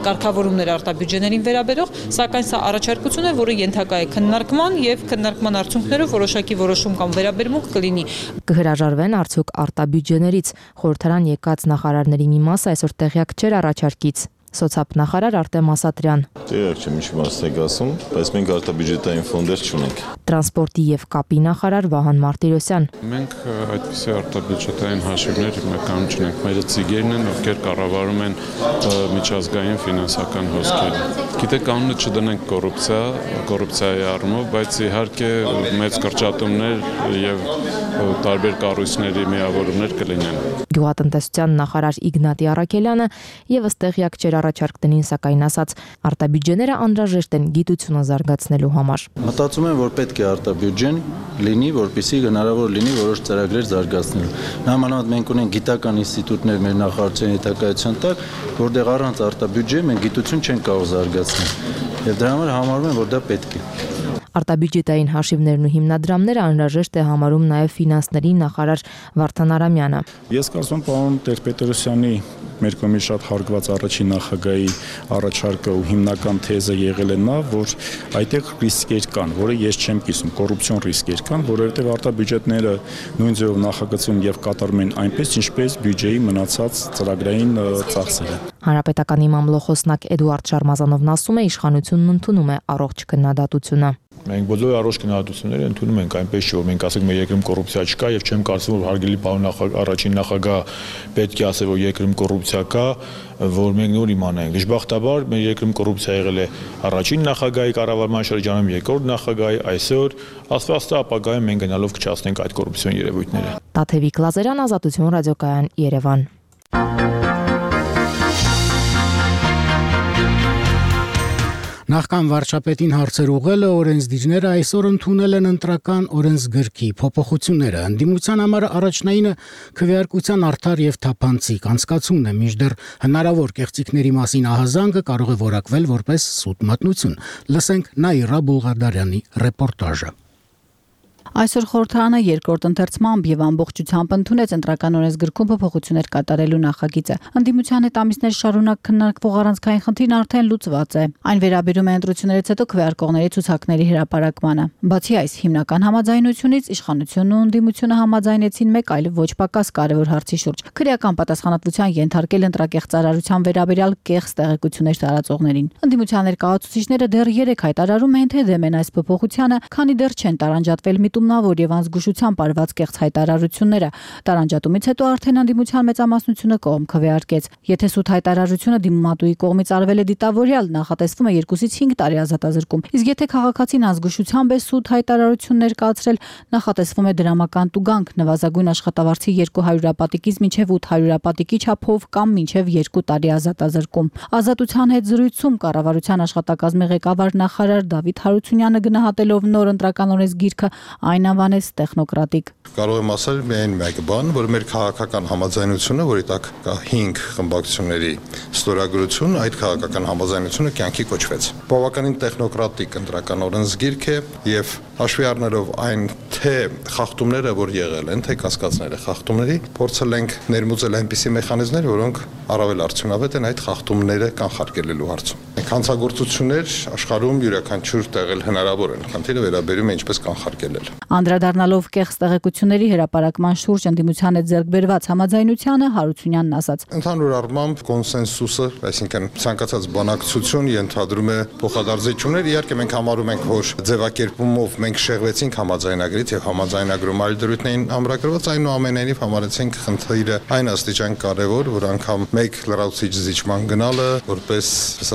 կարգավորումներ արտաբյուջեներին վերաբերող, սակայն սա առաջարկություն է, որը ենթակա է քննարկման եւ քննարկման արդյունքներով որոշակի որոշում կամ վերաբերմունք կլինի։ Կհրաժարվեն արդյոք արտաբյուջեներից։ Խորհրդարան եկած նախարարների մի մասը այսօր տեղյակ չէր առաջարկից։ Սոցիալ նախարար Արտեմ Ասատրյան։ Տեղյակ չեմ, ինչ մաս եք ասում, բայց մենք արտաբյուջետային ֆոնդեր չունենք։ Տրանսպորտի եւ կապի նախարար Վահան Մարտիրոսյան։ Մենք այդպիսի արտաբյուջետային հաշիվներ մեկանում չունենք։ Մերը ծիգերն են, ովքեր կառավարում են միջազգային ֆինանսական հոսքերը։ Գիտեք, կանոնը չդնենք կոռուպցիա, կոռուպցիայի առումով, բայց իհարկե մեծ կրճատումներ եւ տարբեր կառույցների միավորումներ կլինեն։ Գյուղատնտեսության նախարար Իգնատի Առաքելյանը եւս տեղյակ չէր առաջարկներին, սակայն ասաց, արտաբյուջեները անհրաժեշտ են գիտությունը զարգացնելու համար։ Մտածում եմ, որ պետք է արտաբյուջեն լինի, որպեսզի հնարավոր լինի որոշ ծրագրեր զարգացնելու։ Նամանավանդ մենք ունենք գիտական ինստիտուտներ մեր նախարարության հետակայության տակ, որտեղ առանց արտաբյուջե մենք գիտություն չենք կարող զարգացնել։ Եվ դրա համար համարում եմ, որ դա պետք է։ Արտաբյուջետային հաշիվներն ու հիմնադրամները անհրաժեշտ է համարում նաև ֆինանսների նախարար Վարդան Արամյանը։ Ես կարծում եմ, պարոն Տեր-Պետրոսյանի մեր կողմից շատ հարգված առաջին նախագահի առաջարկը ու հիմնական թեզը եղել է նա, որ այդտեղ ռիսկեր կան, որը ես չեմ կիսում, կոռուպցիոն ռիսկեր կան, որովհետև արտաբյուջետները նույն ձևով նախագծում եւ կատարում են այնպես, ինչպես բյուջեի մնացած ծրագրային ծախսերը։ Հանրապետականի մամլոխոսնակ Էդուարդ Շարմազանովն ասում է, իշխանությունն ընդունում է առողջ քննադատությունը։ Մենք բոլոր առողջ քննադատությունները ընդունում ենք, այնպես չէ, որ մենք ասենք մեր երկրում կոռուպցիա չկա եւ չեմ կարծում, որ հարգելի պարոն առաջին նախագահ պետք է ասել, որ երկրում կոռուպցիա կա, որ մենք նոր իմանանք։ Դժբախտաբար մեր երկրում կոռուպցիա եղել է առաջին նախագահի կառավարման շրջանում, երկրորդ նախագահի, այսօր աստվածը ապագայում մենք գնալով կչացնենք այդ կոռուպցիոն երևույթները։ Տաթևիկ Լազարյան, Ազատություն ռադիոկայան, Երևան։ Նախքան վարչապետին հարցեր ուղղելը օրենսդիրները այսօր ընդունել են ընտրական օրենսգրքի փոփոխությունները։ Ընդդիմության համար առաջնայինը քվեարկության արդար եւ թափանցիկ անցկացումն է, մինչդեռ հնարավոր կեղծիքների մասին ահազանգը կարող է որակվել որպես սուտ մատնություն։ Լսենք Նաիրա Բուլղարդարյանի ռեպորտաժը։ Այսօր խորհրդարանը երկրորդ ընթերցմամբ եւ ամբողջությամբ ընդունեց ընտրական օրենսգրքում փոփոխություններ կատարելու նախագիծը։ Ընդդիմության հետ ամիսներ շարունակ քննարկվող առանցքային խնդիրն արդեն լուծված է։ Այն վերաբերում է ընտրություններից հետո քվեարկողների ցուցակների հրապարակմանը։ Բացի այս հիմնական համաձայնությունից իշխանությունն ու ընդդիմությունը համաձայնեցին մեկ այլ ոչ պակաս կարևոր հարցի շուրջ՝ քրեական պատասխանատվության ենթարկել ընտրակեղծարարության վերաբերյալ կեղծ տեղեկություններ տարածողներին։ Ընդդիմության ներկայացուցիչները դեռ երեք հայտարարում են, թե դեմ են այս փոփոխությանը, քանի դեռ չեն տարանջատվել միտումնավոր եւ անզգուշությամբ արված կեղծ հայտարարությունները։ Տարանջատումից հետո արդեն ընդդիմության մեծամասնությունը կողմ քվեարկեց։ Եթե սուտ հայտարարությունը դիմումատուի կողմից արվել է դիտավորյալ, նախատեսվում է երկուսից հինգ տարի ազատազրկում։ Իսկ եթե քաղաքացին անզգուշությամբ է սուտ հայտարարություն ներկայացրել, նախատեսվում է դրամական տուգանք նվազագույն աշխատավարձի երկու հարյուրապատիկից մինչև ութ հարյուրապատիկի չափով կամ մինչև երկու տարի ազատազրկում։ Ազատության հետ զրույցում կառավարության աշխատակազմի ղեկավար նախարար Դավիթ Հարությունյանը գնահատելով նոր ընտրական օրենսգիրքը այն անվանեց տեխնոկրատիկ։ Կարող եմ ասել միայն մեկ բան, որ մեր քաղաքական համաձայնությունը, որի տակ կա հինգ խմբակցությունների ստորագրություն, այդ քաղաքական համաձայնությունը կյանքի կոչվեց։ Բավականին տեխնոկրատիկ ընտրական օրենսգիրք է եւ հաշվի առնելով այն թե խախտումները, որ եղել են, թե կասկածները խախտումների, փորձել ենք ներմուծել այնպիսի մեխանիզմներ, որոնք առավել արդյունավետ են այդ խախտումները կանխարգելելու հարցում։ Հանցագործություններ աշխարհում յուրաքանչյուր տեղել հնարավոր են։ Խնդիրը վերաբերում է ինչպես կանխարգելել։ Անդրադառնալով կեղծ տեղեկությունների հրապարակման շուրջ ընդդիմության հետ ձեռք բերված համաձայնությանը Հարությունյանն ասաց. Ընդհանուր առմամբ կոնսենսուսը, այսինքն ցանկացած բանակցություն ենթադրում է փոխադարձություններ։ Իհարկե մենք համարում ենք, որ ձևակերպումով մենք շեղվեցինք համաձայնագրից եւ համաձայնագրում այլ դրույթներին ամրագրված, այնուամենայնիվ համարեցինք խնդիրը այն աստիճան կարեւոր, որ անգամ մեկ լրացուցիչ զիջման գնալը որպես,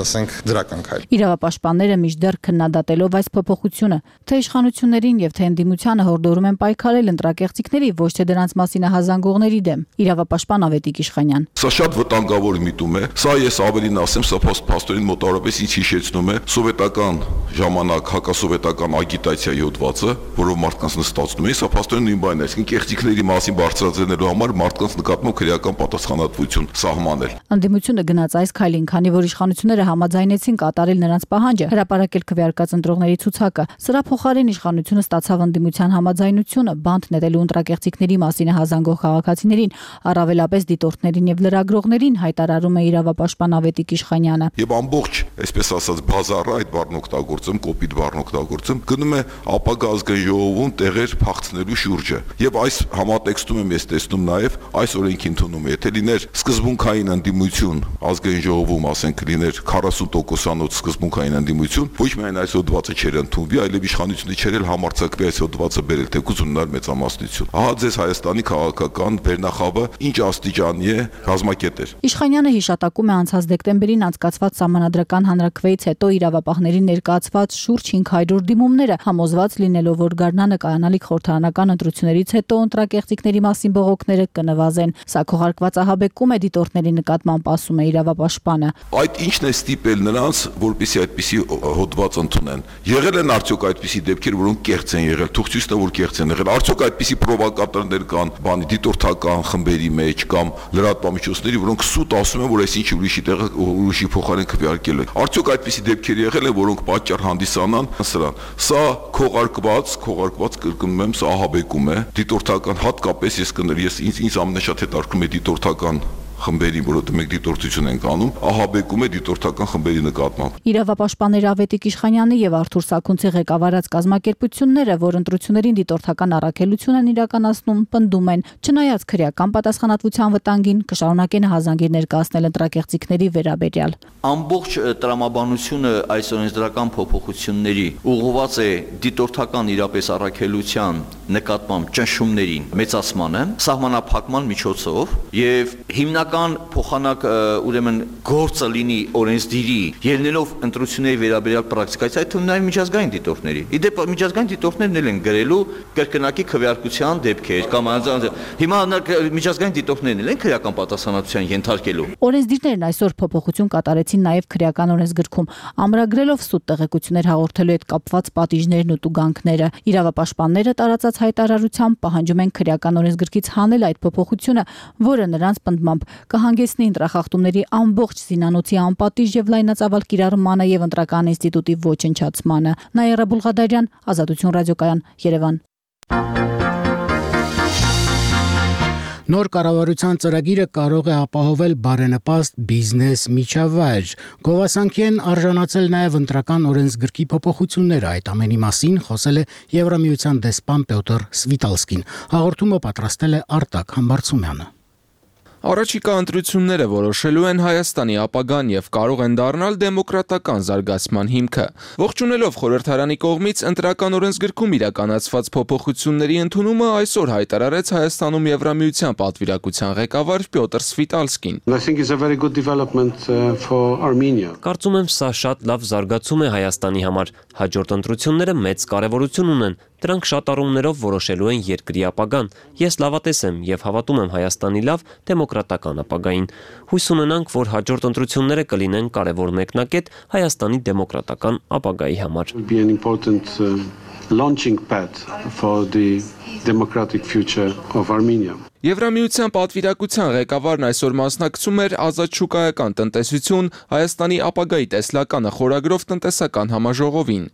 ասենք, դրական քայլ։ Իրավապաշտպանները միշտեռ քննադատելով այս փոփոխությունը, թե իշխանություններին եւ թե ընդդիմությանը հորդորում են պայքարել ընտրակեղծիքների, ոչ թե դրանց մասին ահազանգողների դեմ։ Իրավապաշտպան Ավետիք Իշխանյան. Սա շատ վտանգավոր միտում է։ Սա ես ավելին ասեմ, սա փաստորեն մոտավորապես ինչ հիշեցնում է սովետական ժամանակ հակասովետական ագիտացիայի հոդվածը, որով մարդկանց նստացնում էին, սա փաստորեն նույն բանն է, այսինքն կեղծիքների մասին բարձրացնելու համար մարդկանց նկատմամբ քրեական պատասխանատվություն սահմանել։ Ընդդիմությունը գնաց այս քայլին, քանի որ իշխանությունները համաձայնեցին կատարել նրանց պահանջը, հրապարակել քվեարկած ընտրողների ցուցակը։ Սրա փոխարեն իշխանությունը ստացավ ընդդիմության համաձայնությունը բանտ նետելու ընտրակեղծիքների մասին հազանգող քաղաքացիներին, առավելապես դիտորդներին եւ լրագրողներին, հայտարարում է իրավապաշտպան Ավետիք Իշխանյանը։ Եվ ամբողջ, այսպես ասած, բազարը, այդ բառն օգտագործում, կոպիտ բառն օգտագործում, գնում է ապագա ազգային ժողովում տեղեր փախցնելու շուրջը։ Եվ այս համատեքստում եմ ես տեսնում նաեւ այս օրենքի ընդունումը, եթե լիներ սկզբունքային ընդդիմություն ազգային ժողովում, ասենք լիներ քառասուն տոկոսանոց սկզբունքային ընդդիմություն, ոչ միայն այս հոդվածը չէր ընդունվի, այլև իշխանությունը չէր էլ համարձակվի այս հոդվածը բերել, թեկուզ ունենալ մեծամասնություն։ Ահա ձեզ Հայաստանի քաղաքական վերնախավը ինչ աստիճանի է ռազմակետեր։ Իշխանյանը հիշատակում է անցած դեկտեմբերին անցկացված սահմանադրական հանրաքվեից հետո իրավապահներին ներկայացված շուրջ հինգ հարյուր դիմումները, համոզված լինելով, որ գարնանը կայանա հաղթանալիք խորհրդարանական ընտրություններից հետո ընտրակեղծիքների մասին բողոքները կնվազեն։ Սա քողարկված ահաբեկում է դիտորդների նկատմամբ, ասում է իրավապաշտպանը։ Այդ ինչն է ստիպել նրանց, որպեսզի այդպիսի հոդված ընդունեն։ Եղել են արդյոք այդպիսի դեպքեր, որոնք կեղծ են եղել, թող ցույց տա, որ կեղծ են եղել։ Արդյոք այդպիսի պրովոկատորներ կան, բանի դիտորդական խմբերի մեջ կամ լրատվամիջոցների, որոնք սուտ ասում են, որ այսինչ ուրիշի տեղը ուրիշի փոխարեն քվեարկել են։ Արդյոք այդպիսի դեպքեր եղել են, որոնք պատճառ հանդիսանան սրան։ Սա քողարկված, քողարկված կրկնում եմ, սա ահաբեկում է։ Դիտորդական հատկապես ես կներ, ես ինձ ինձ ամենաշատ հետաքրքրում է դիտորդական խմբերի, որոնք մեկ դիտորդություն են կանում, ահաբեկում է դիտորդական խմբերի նկատմամբ։ Իրավապաշտպաններ Ավետիք Իշխանյանի եւ Արթուր Սաքունցի ղեկավարած կազմակերպությունները, որ ընտրություններին դիտորդական առաքելություն են իրականացնում, պնդում են, չնայած քրեական պատասխանատվության վտանգին, կշարունակեն հազանգիր ներկայացնել ընտրակեղծիքների վերաբերյալ։ Ամբողջ տրամաբանությունը այս օրենսդրական փոփոխությունների ուղղված է դիտորդական իրապես առաքելության նկատմամբ ճնշումներին մեծացմանը, սահմանափակման միջոցով եւ հիմնական փոխանակ ուրեմն գործը լինի օրենսդիրի ելնելով ընտրությունների վերաբերյալ պրակտիկայից, այդ թվում նաեւ միջազգային դիտորդների։ Իդեպ միջազգային դիտորդներն էլ են գրելու կրկնակի քվեարկության դեպքեր կամ հիմա միջազգային դիտորդներն էլ են քրեական պատասխանատվության ենթարկելու։ Օրենսդիրներն այսօր փոփոխություն կատարեցին նաեւ քրեական օրենսգրքում, ամրագրելով սուտ տեղեկություններ հաղորդելու հետ կապված պատիժներն ու տուգանքները։ Իրավապաշտպանները տարածած հայտարարությամբ պահանջում են քրեական օրենսգրքից հանել այդ փոփոխությունը, որը նրանց պնդմամբ կհանգեցնի ընտրախախտումների ամբողջ զինանոցի անպատիժ եւ լայնածավալ կիրառմանը եւ ընտրական ինստիտուտի ոչնչացմանը։ Նաիրա Բուլղադարյան, Ազատություն ռադիոկայան, Երևան։ Նոր կառավարության ծրագիրը կարող է ապահովել բարենպաստ բիզնես միջավայր։ Գովասանքի են արժանացել նաև ընտրական օրենսգրքի փոփոխությունները։ Այդ ամենի մասին խոսել է Եվրամիության դեսպան Պյոտր Սվիտալսկին։ Հաղորդումը պատրաստել է Արտակ Համբարձումյանը։ Առաջիկա ընտրությունները որոշելու են Հայաստանի ապագան եւ կարող են դառնալ դեմոկրատական զարգացման հիմքը։ Ողջունելով խորհրդարանի կողմից ընտրական օրենսգրքում իրականացված փոփոխությունների ընդունումը այսօր հայտարարեց Հայաստանում Եվրամիության պատվիրակության ղեկավար Պյոտր Սվիտալսկին։ Կարծում եմ, սա շատ լավ զարգացում է Հայաստանի համար։ Հաջորդ ընտրությունները մեծ կարևորություն ունեն։ Դրանք շատ առումներով որոշելու են երկրի ապագան։ Ես լավատես եմ եւ հավատում եմ Հայաստանի լավ դեմոկրատական ապագային։ Հույս ունենանք, որ հաջորդ ընտրությունները կլինեն կարևոր մեկնակետ Հայաստանի դեմոկրատական ապագայի համար։ Launching pad for the democratic future of Armenia. Եվրամիության պատվիրակության ղեկավարն այսօր մասնակցում էր ազատ շուկայական տնտեսություն Հայաստանի ապագայի տեսլականը խորագրով տնտեսական համաժողովին։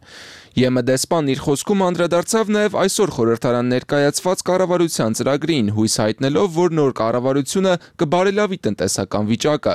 ԵՄ դեսպանն իր խոսքում անդրադարձավ նաև այսօր խորհրդարան ներկայացված կառավարության ծրագրին, հույս հայտնելով, որ նոր կառավարությունը կբարելավի տնտեսական վիճակը։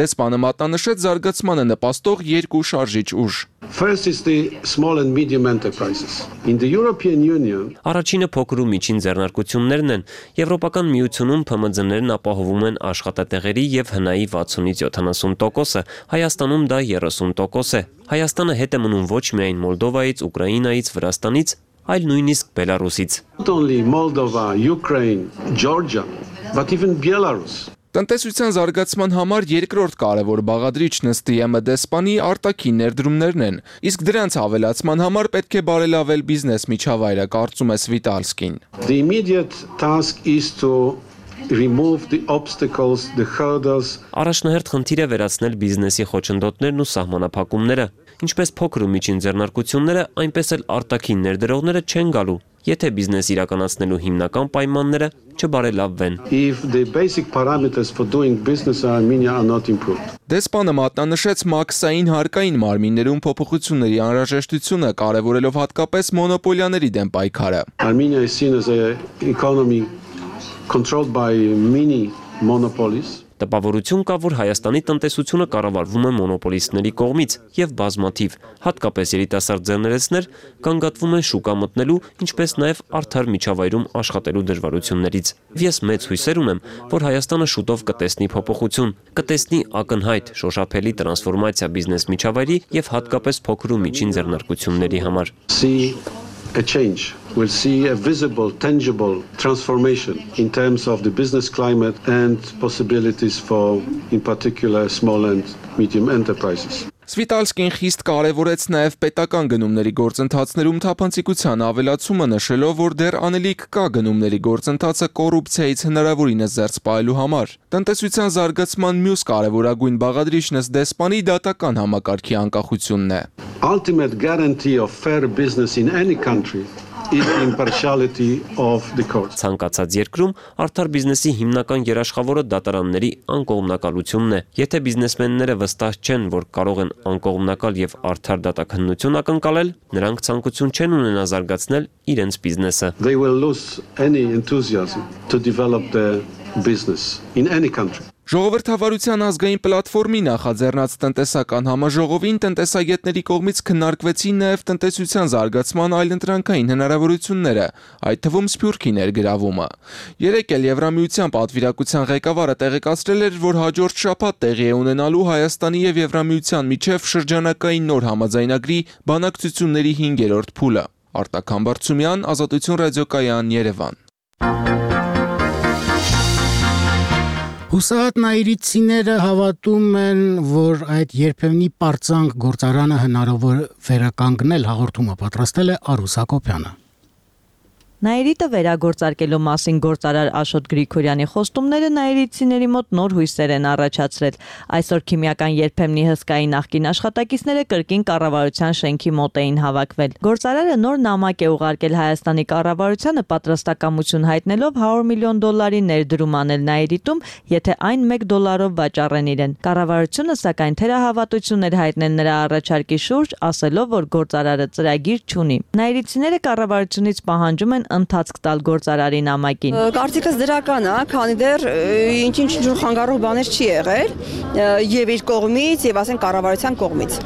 Դեսպանը մատնանշեց զարգացմանը նպաստող երկու շարժիչ ուժ։ First is the small and medium enterprises. In the European Union, Առաջինը փոքր ու միջին ձեռնարկություններն են։ Եվրոպական միությունում Փ M Ծ-ներն ապահովում են աշխատատեղերի եւ հնայի վաթսունից յոթանասուն տոկոսը, Հայաստանում դա երեսուն տոկոս է։ Հայաստանը հետ է մնում ոչ միայն Մոլդովայից, Ուկրաինայից, Վրաստանից, այլ նույնիսկ Բելարուսից։ Not only Moldova, Ukraine, Georgia, but even Belarus. Տնտեսության զարգացման համար երկրորդ կարևոր բաղադրիչն ըստ ԵՄ դեսպանի արտաքին ներդրումներն են, իսկ դրանց ավելացման համար պետք է բարելավել բիզնես միջավայրը, կարծում է Սվիտալսկին։ The immediate task is to remove the obstacles, the hurdles. Առաջնահերթ խնդիր է վերացնել բիզնեսի խոչընդոտներն ու սահմանափակումները, ինչպես փոքր ու միջին ձեռնարկությունները, այնպես էլ արտաքին ներդրողները չեն գալու, եթե բիզնես իրականացնելու հիմնական պայմանները չբարելավվեն։ If the basic parameters for doing business in Armenia are not improved. Դեսպանը մատնանշեց մաքսային հարկային մարմիններում փոփոխությունների անհրաժեշտությունը, կարևորելով հատկապես մոնոպոլիաների դեմ պայքարը։ Armenia is seen as an economy controlled by many monopolies. Տպավորություն կա, որ Հայաստանի տնտեսությունը կառավարվում է մոնոպոլիստների կողմից եւ բազմաթիվ, հատկապես երիտասարդ ձեռներեցներ կանգատվում են շուկա մտնելու, ինչպես նաեւ արդար միջավայրում աշխատելու դժվարություններից։ Ես մեծ հույսեր ունեմ, որ Հայաստանը շուտով կտեսնի փոփոխություն, կտեսնի ակնհայտ շոշափելի տրանսֆորմացիա բիզնես միջավայրի եւ հատկապես փոքր ու միջին ձեռնարկությունների համար։ A change. We'll see a visible, tangible transformation in terms of the business climate and possibilities for, in particular, small and medium enterprises. Սվիտալսկին խիստ կարևորեց նաև պետական գնումների գործընթացներում թափանցիկության ավելացումը, նշելով, որ դեռ անելիք կա գնումների գործընթացը կոռուպցիայից հնարավորինս զերծ պահելու համար։ Տնտեսության զարգացման մյուս կարևորագույն բաղադրիչն ըստ դեսպանի դատական համակարգի անկախությունն է։ Ultimate guarantee of fair business in any country is the impartiality of the courts. Ցանկացած երկրում արդար բիզնեսի հիմնական երաշխավորը դատարանների անկողմնակալությունն է։ Եթե բիզնեսմենները վստահ չեն, որ կարող են անկողմնակալ եւ արդար դատաքննություն ակնկալել, նրանք ցանկություն չեն ունենա զարգացնել իրենց բիզնեսը։ They will lose any enthusiasm to develop their business in any country. Ժողովրդավարության ազգային պլատֆորմի նախաձեռնած տնտեսական համաժողովին տնտեսագետների կողմից քննարկվեցին նաև տնտեսության զարգացման այլընտրանքային հնարավորությունները, այդ թվում Սփյուռքի ներգրավումը։ Երեկ էլ Եվրամիության պատվիրակության ղեկավարը տեղեկացրել էր, որ հաջորդ շաբաթ տեղի է ունենալու Հայաստանի եւ Եվրամիության միջև շրջանակային նոր համաձայնագրի բանակցությունների հինգերորդ փուլը։ Արտակ Համբարձումյան, Ազատություն ռադիոկայան, Երևան։ Հուսահատ նայիրիցիները հավատում են, որ այդ երբեմնի պարծանք գործարանը հնարավոր վերականգնել հաղորդումը պատրաստել է Արուս Հակոբյանը։ Նայիրիտը վերագործարկելու մասին գործարար Աշոտ Գրիգորյանի խոստումները նայիրիցիների մոտ նոր հույսեր են առաջացրել։ Այսօր քիմիական երբեմնի հսկայի նախկին աշխատակիցները կրկին կառավարության շենքի մոտ էին հավաքվել։ Գործարարը նոր նամակ է ուղարկել Հայաստանի կառավարությանը պատրաստակամություն հայտնելով հարյուր միլիոն դոլարի ներդրում անել Նայիրիտում, եթե այն մեկ դոլարով վաճառեն իրեն։ Կառավարությունը սակայն թերահավատություն էր հայտնել նրա առաջարկի շուրջ, ասելով, որ գործարարը ծրագիր չունի։ Նայիրիցիները կառավարությունից պահանջում են ընթացք տալ գործարարի նամակին։ Կարծիքս դրական է, քանի դեռ ինչ-ինչ ինչ խանգարող բաներ չի եղել եւ իր կողմից եւ ասեն կառավարության կողմից։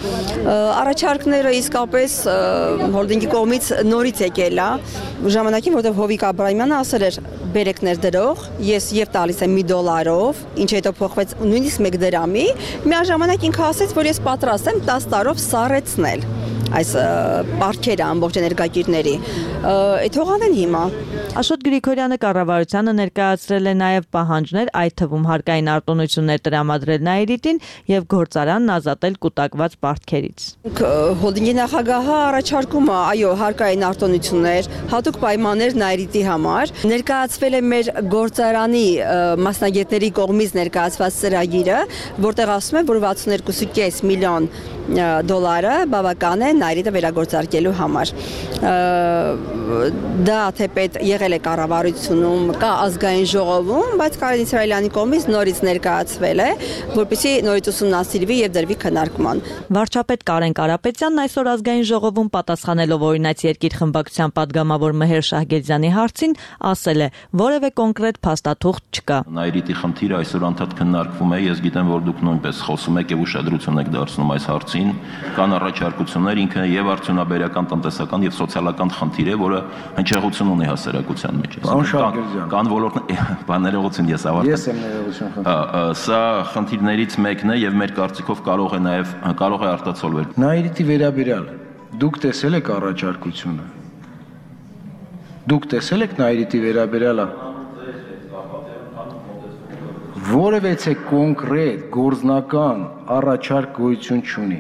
Առաջարկները իսկապես հոլդինգի կողմից նորից եկել է ժամանակին, որտեղ Հովիկ Աբրահամյանը ասել էր բերեք ներդրող, ես եւ տալիս եմ մի դոլարով, ինչ հետո փոխվեց նույնիսկ մեկ դրամի, միաժամանակ ինքը ասեց, որ ես պատրաստ եմ տասը տարով սառեցնել այս պարքերը ամբողջ էներգակիրների։ Այդ հողանեն հիմա։ Աշոտ Գրիգորյանը կառավարությանը ներկայացրել է նաև պահանջներ, այդ թվում հարկային արտոնություններ տրամադրել Նայիրիտին եւ գործարանն ազատել կուտակված պարտքերից։ Հոլդինգի նախագահը առաջարկում է, այո, հարկային արտոնություններ, հատուկ պայմաններ Նայիրիտի համար։ Ներկայացվել է մեր գործարանի մասնագետների կողմից ներկայացված ծրագիրը, որտեղ ասում է, որ վաթսունեքու կόμμα պենս միլիոն դոլարը բավական է Նայիրիտը վերագործարկելու համար։ Դա թեպետ եղել է կառավարությունում, կա ազգային ժողովում, բայց Կարեն Իսրայելյանի կողմից նորից ներկայացվել է, որպեսզի նորից ուսումնասիրվի եւ դրվի քննարկման։ Վարչապետ Կարեն Կարապետյանն այսօր ազգային ժողովում պատասխանելով օրինաց երկիր խմբակցության падգամավոր Մեհեր Շահգեզյանի հարցին ասել է, որևէ կոնկրետ փաստաթուղթ չկա։ Նայիրիտի խնդիրը այսօր անդադ քննարկվում է, ես գիտեմ, որ դուք նույնպես խոսում եք եւ ուշադրություն եք դարձնում այս հարցին, կան առաջարկություններ, ինքը եւ արդյունաբերական, տնտեսական եւ սոցիալական խնդիր է, որը հնչեղություն ունի հասարակության մեջ։ Կան ոլորտներ, բաներողություն ես ավարտել։ Ես եմ ներողություն խնդրում։ Սա խնդիրներից մեկն է եւ մեր կարծիքով կարող է նաեւ կարող է արտացոլվել։ Նայիրիտի վերաբերյալ դուք տեսել եք առաջարկությունը։ Դուք տեսել եք Նայիրիտի վերաբերյալը։ Որևէ կոնկրետ գործնական առաջարկ գոյություն չունի։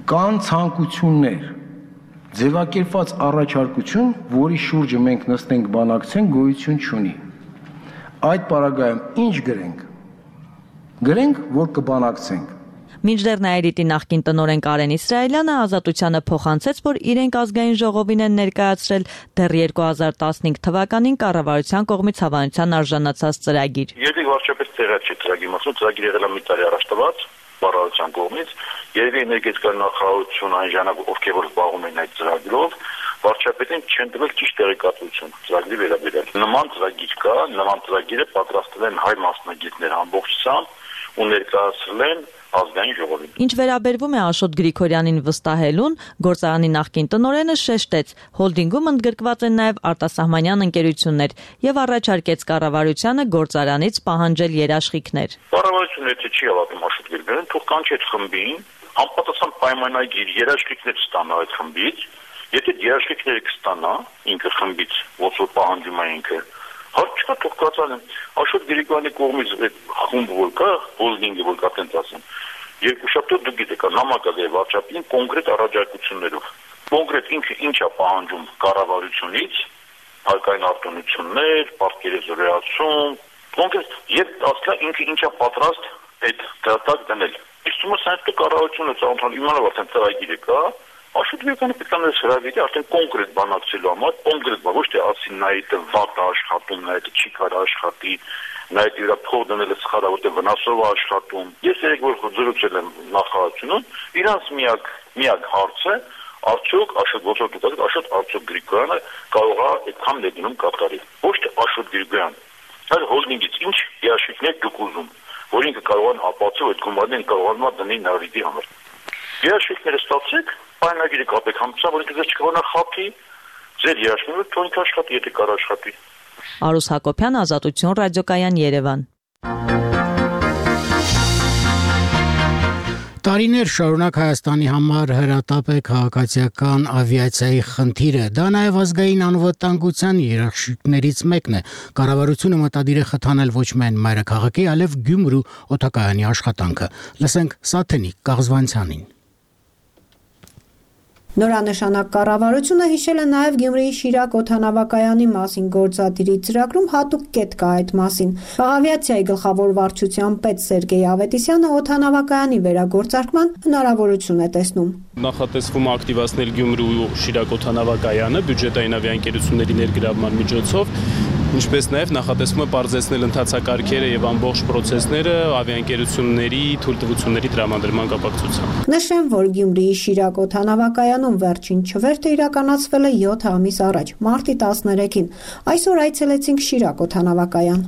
Կան ցանկություններ, ձևակերպված առաջարկություն, որի շուրջը մենք նստենք բանակցենք, գոյություն չունի։ Այդ պարագայում ինչ գրենք։ Գրենք, որ կբանակցենք։ Մինչդեռ Նայիրիտի նախկին տնօրեն Կարեն Իսրայելյանը Ազատությանը փոխանցեց, որ իրենք ազգային ժողովին են ներկայացրել դեռ երկու հազար տասնհինգ թվականին կառավարության կողմից հավանության արժանացած ծրագիր։ Երբ վարչապետ տեղյակ չի ծրագրի մասին, ծրագիրը եղել է մի տարի առաջ տված կառավարության կողմից, երևի էներգետիկայի նախարարություն այն ժամանակ ովքեր որ զբաղվում են այդ ծրագրով, վարչապետին չեն տվել ճիշտ տեղեկատվություն ծրագրի վերաբերյալ։ Նման ծրագիր կա, նման ծրագիրը պատրաստել են հայ մասնագետներ ամբողջությամբ ու ներկայացրել են ազգային ժողովին։ Ինչ վերաբերվում է Աշոտ Գրիգորյանին վստահելուն, գործարանի նախկին տնօրենը շեշտեց, հոլդինգում ընդգրկված են նաև արտասահմանյան ընկերություններ եւ առաջարկեց կառավարությանը գործարանից պահանջել երաշխիքներ։ Կառավարությունը եթե չի հավատում Աշոտ Գրիգորյանին, թող կանչի այդ խմբին, անպատասխան պայմանագիր երաշխիքներ ստանա այդ խմբից, եթե երաշխիքները կստանա ինքը խմբից, ոնց որ պահանջում է ինքը, հարց չկա, թող կացանեն։ Աշոտ Գրիգորյանի կողմից այդ խումբը որ կա, հոլդինգը որ կա, տենց ասեմ, Երկուշաբթի դուք գիտեք, նամակ է վարչապետին կոնկրետ առաջարկություններով։ Կոնկրետ ինքը ինչ է պահանջում կառավարությունից, հարկային արտոնություններ, պարտքերի զորացում, կոնկրետ եւ ասկա ինքը ինչ է պատրաստ այդ դրատակ դնել։ Իսկ ո՞ւմ է այդ կառավարությունը ցանոթալ իմանալ արդեն ծրագիրը կա, Աշոտվեկանը պետք է ներս հրավիրի արդեն կոնկրետ բանակցելու համար, կոնկրետ բան, ոչ թե ասին նա այդ վատ աշխատում, նա այդ չի կարող աշխատի, նա այդ իր փող դնելը սխալ է, որտեղ վնասով է աշխատում։ Ես երեք որ զրուցել եմ նախարարությունում, իրանց միակ միակ հարցը արդյոք Աշոտ ոնց դուք Աշոտ Արտուր Գրիգորյանը կարող է այդքան լեգնում կատարի։ Ոչ թե Աշոտ Գրիգորյան, այլ հոլդինգից ինչ երաշխիքներ դուք ուզում, որ ինքը կարող են ապացուցել այդ գումարն կարողանա դնել նավիդի համար։ Երաշխիքները ստացեք, պայմանագիրը կապեք համցա, որ ինքը ձեզ չկարողանա խափի, ձեր երաշխիքները թողնք աշխատի, եթե կարող աշխատի։ Արուս Հակոբյան, Ազատություն ռադիոկայան, Երևան։ Տարիներ շարունակ Հայաստանի համար հրատապ է քաղաքացիական ավիացիայի խնդիրը։ Դա նաև ազգային անվտանգության երաշխիքներից մեկն է։ Կառավարությունը մտադիր է խթանել ոչ միայն մայրաքաղաքի, այլև Գյումրու օդակայանի աշխատանքը։ Լսենք Սաթենիկ Կաղզվանցյանին։ Նորանշանակ կառավարությունը հիշել է նաև Գյումրիի Շիրակ օդանավակայանի մասին գործադիրի ծրագրում հատուկ կետ կա այդ մասին։ Ավիացիայի գլխավոր վարչության պետ Սերգեյ Ավետիսյանը օդանավակայանի վերագործարկման հնարավորություն է տեսնում։ Նախատեսվում է ակտիվացնել Գյումրու Շիրակ օդանավակայանը բյուջետային ավիաընկերությունների ներգրավման միջոցով, ինչպես նաև նախատեսվում է բարձրացնել ընթացակարգերը եւ ամբողջ process-ները ավիաընկերությունների թույլտվությունների տրամադրման կապակցությամբ։ Նշեմ, որ Գյումրիի Շիրակ օդանավակայանում վերջին չվերթը իրականացվել է յոթ ամիս առաջ, մարտի տասներեքին։ Այսօր այցելեցինք Շիրակ օդանավակայան։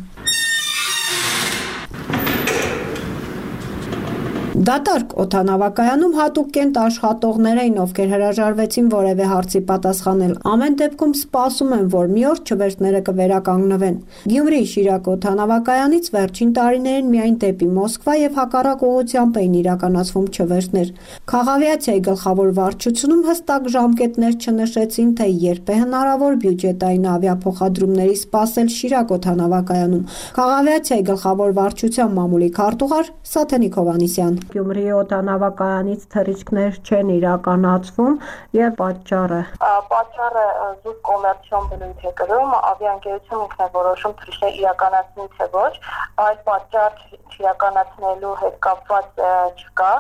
Դատարկ օդանավակայանում հատուկ կենտ աշխատողներ էին, ովքեր հրաժարվեցին որևէ հարցի պատասխանել։ Ամեն դեպքում սպասում են, որ մի օր չվերթները կվերականգնվեն։ Գյումրիի Շիրակ օդանավակայանից վերջին տարիներին միայն դեպի Մոսկվա եւ հակառակ ուղղությամբ էին իրականացվում չվերթներ։ Քաղավիացիայի գլխավոր վարչությունում հստակ ժամկետներ չնշեցին, թե երբ է հնարավոր բյուջետային ավիափոխադրումների սպասել Շիրակ օդանավակայանում։ Քաղավիացիայի գլխավոր վարչության մամուլի քարտուղար Սաթենիկ Հովհաննիսյան։ Գյումրիի օդանավակայանից թռիչքներ չեն իրականացվում եւ պատճառը պատճառը զուտ կոմերցիոն բնույթ է կրում, ավիաընկերությունը ինքն է որոշում թռիչքներ իրականացնի թե ոչ, այդ պատճառ իրականացնելու հետ կապված չկա,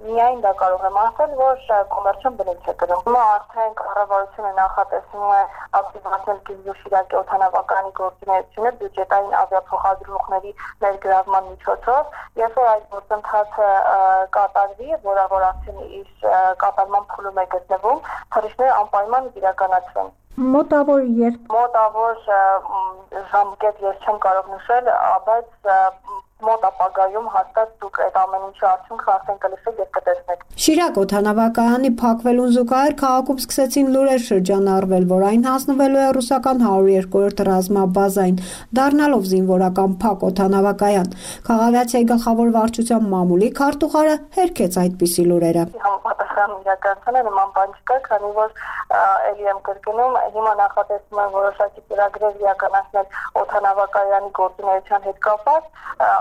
միայն դա կարող եմ ասել, որ կոմերցիոն բնույթ է կրում։ Հիմա արդեն կառավարությունը նախատեսում է ակտիվացնել Գյումրու Շիրակի օդանավակայանի գործունեությունը բյուջետային ավիափոխադրումների ներգրավման միջոցով, երբ որ այդ գործընթացը կատարվի, որավոր արդեն իր կատարման փուլում է գտնվում, թռիչքները անպայման իրականացվեն։ Մոտավոր երբ մոտավոր ժամկետ ես չեմ կարող նշել, բայց մոտ ապագայում հաստատ դուք այդ ամեն ինչի արդյունքը արդեն կլսեք եւ կտեսնեք։ Շիրակ օդանավակայանի փակվելուն զուգահեռ քաղաքում սկսեցին լուրեր շրջանառվել, որ այն հանձնվելու է ռուսական հարյուր երկրորդ ռազմաբազային, դառնալով զինվորական փակ օդանավակայան։ Քաղաքացիայի գլխավոր վարչության մամուլի քարտուղարը հերքեց այդպիսի լուրերը։ Համապատասխան իրականացանը նման բան չկա, քանի որ ելի եմ կրկնում, հիմա նախատեսվում են որոշակի ծրագրեր իրականացնել օդանավակայանի գործունեության հետ կապված,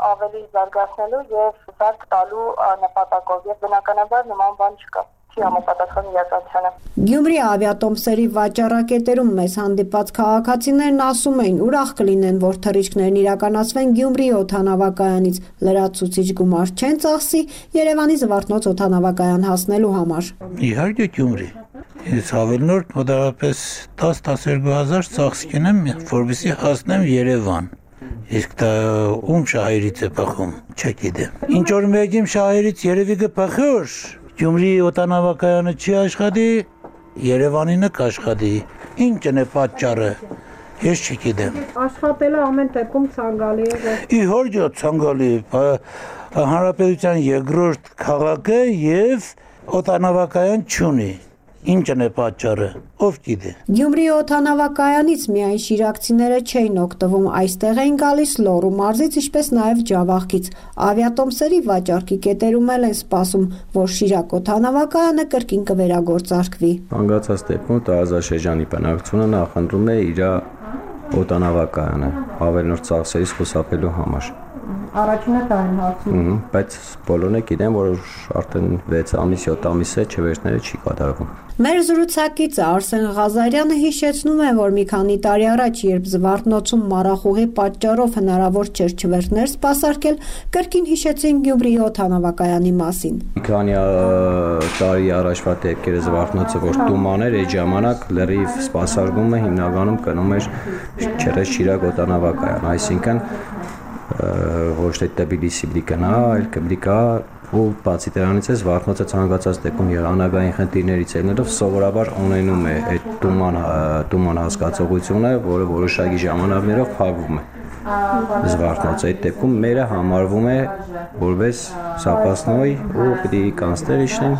ավելի զարգացնելու եւ զարգ տալու նպատակով եւ բնականաբար նման բան չկա։ Համապատասխան իրականությանը։ Գյումրի ավիատոմսերի վաճառակետերում մեզ հանդիպած քաղաքացիներն ասում էին, ուրախ կլինեն, որ թռիչքներն իրականացվեն Գյումրի օդանավակայանից, լրացուցիչ գումար չեն ծախսի Երևանի Զվարթնոց օդանավակայան հասնելու համար։ Իհարկե Գյումրի։ Ես ավելնորդ մոտավորապես տասը տասներկու հազար ծախս կինեմ, որպեսզի հասնեմ Երևան։ Իսկ դա ում շահերից է փախում, չգիտեմ։ Ինչ որ մեկին շահերից երևի կփախի, Գյումրի օդանավակայանը չի աշխատի, Երևանինը կաշխատի։ Ինչն է պատճառը, ես չգիտեմ։ Աշխատելը ամեն դեպքում ցանկալի է։ Իհարկե ցանկալի է, հանրապետության երկրորդ քաղաքը եւ օդանավակայան չունի։ Ինչն է պատճառը, ով գիտե։ Գյումրի օդանավակայանից միայն շիրակցիները չէին օգտվում, այստեղ էին գալիս Լոռու մարզից, ինչպես նաև Ջավախքից։ Ավիատոմսերի վաճառքի կետերում էլ են սպասում, որ Շիրակ օդանավակայանը կրկին կվերագործարկվի։ Հանգացած դեպքում Տարազա Շեջանի բնակչությունը նախընտրում է իր օդանավակայանը ավելնորդ ծախսերից խուսափելու համար։ Առաջինը դա են հարցնում։ Բայց բոլորն է գիտեն, որ արդեն վեց ամիս, յոթ ամիս է չվերթները չի կատարվում։ Մեր զրուցակիցը Արսեն Ղազարյանը հիշեցնում է, որ մի քանի տարի առաջ, երբ Զվարթնոցում մառախուղի պատճառով հնարավոր չէր չվերթներ սպասարկել, կրկին հիշեցին Գյումրիի օդանավակայանի մասին։ Մի քանի տարի առաջվա դեպքերը Զվարթնոցը, որ տուման էր, այդ ժամանակ լրիվ սպասարկումը հիմնականում կնում էր Չերեզ-Շիրակ օդանավակայան, այսինքն ոչ թե Թբիլիսի պիտի գնա, այլ կպիտի գա ու բացի դրանից է Զվարթնոցը ցանկացած դեպքում եղանակային խնդիրներից ելնելով սովորաբար ունենում է այդ տուման տուման հասկացողությունը, որը որոշակի ժամանակներով փակվում է։ Զվարթնոցը այդ դեպքում մերը համարվում է որպես զապասնոյ ու պիտի կանցներ իջնեն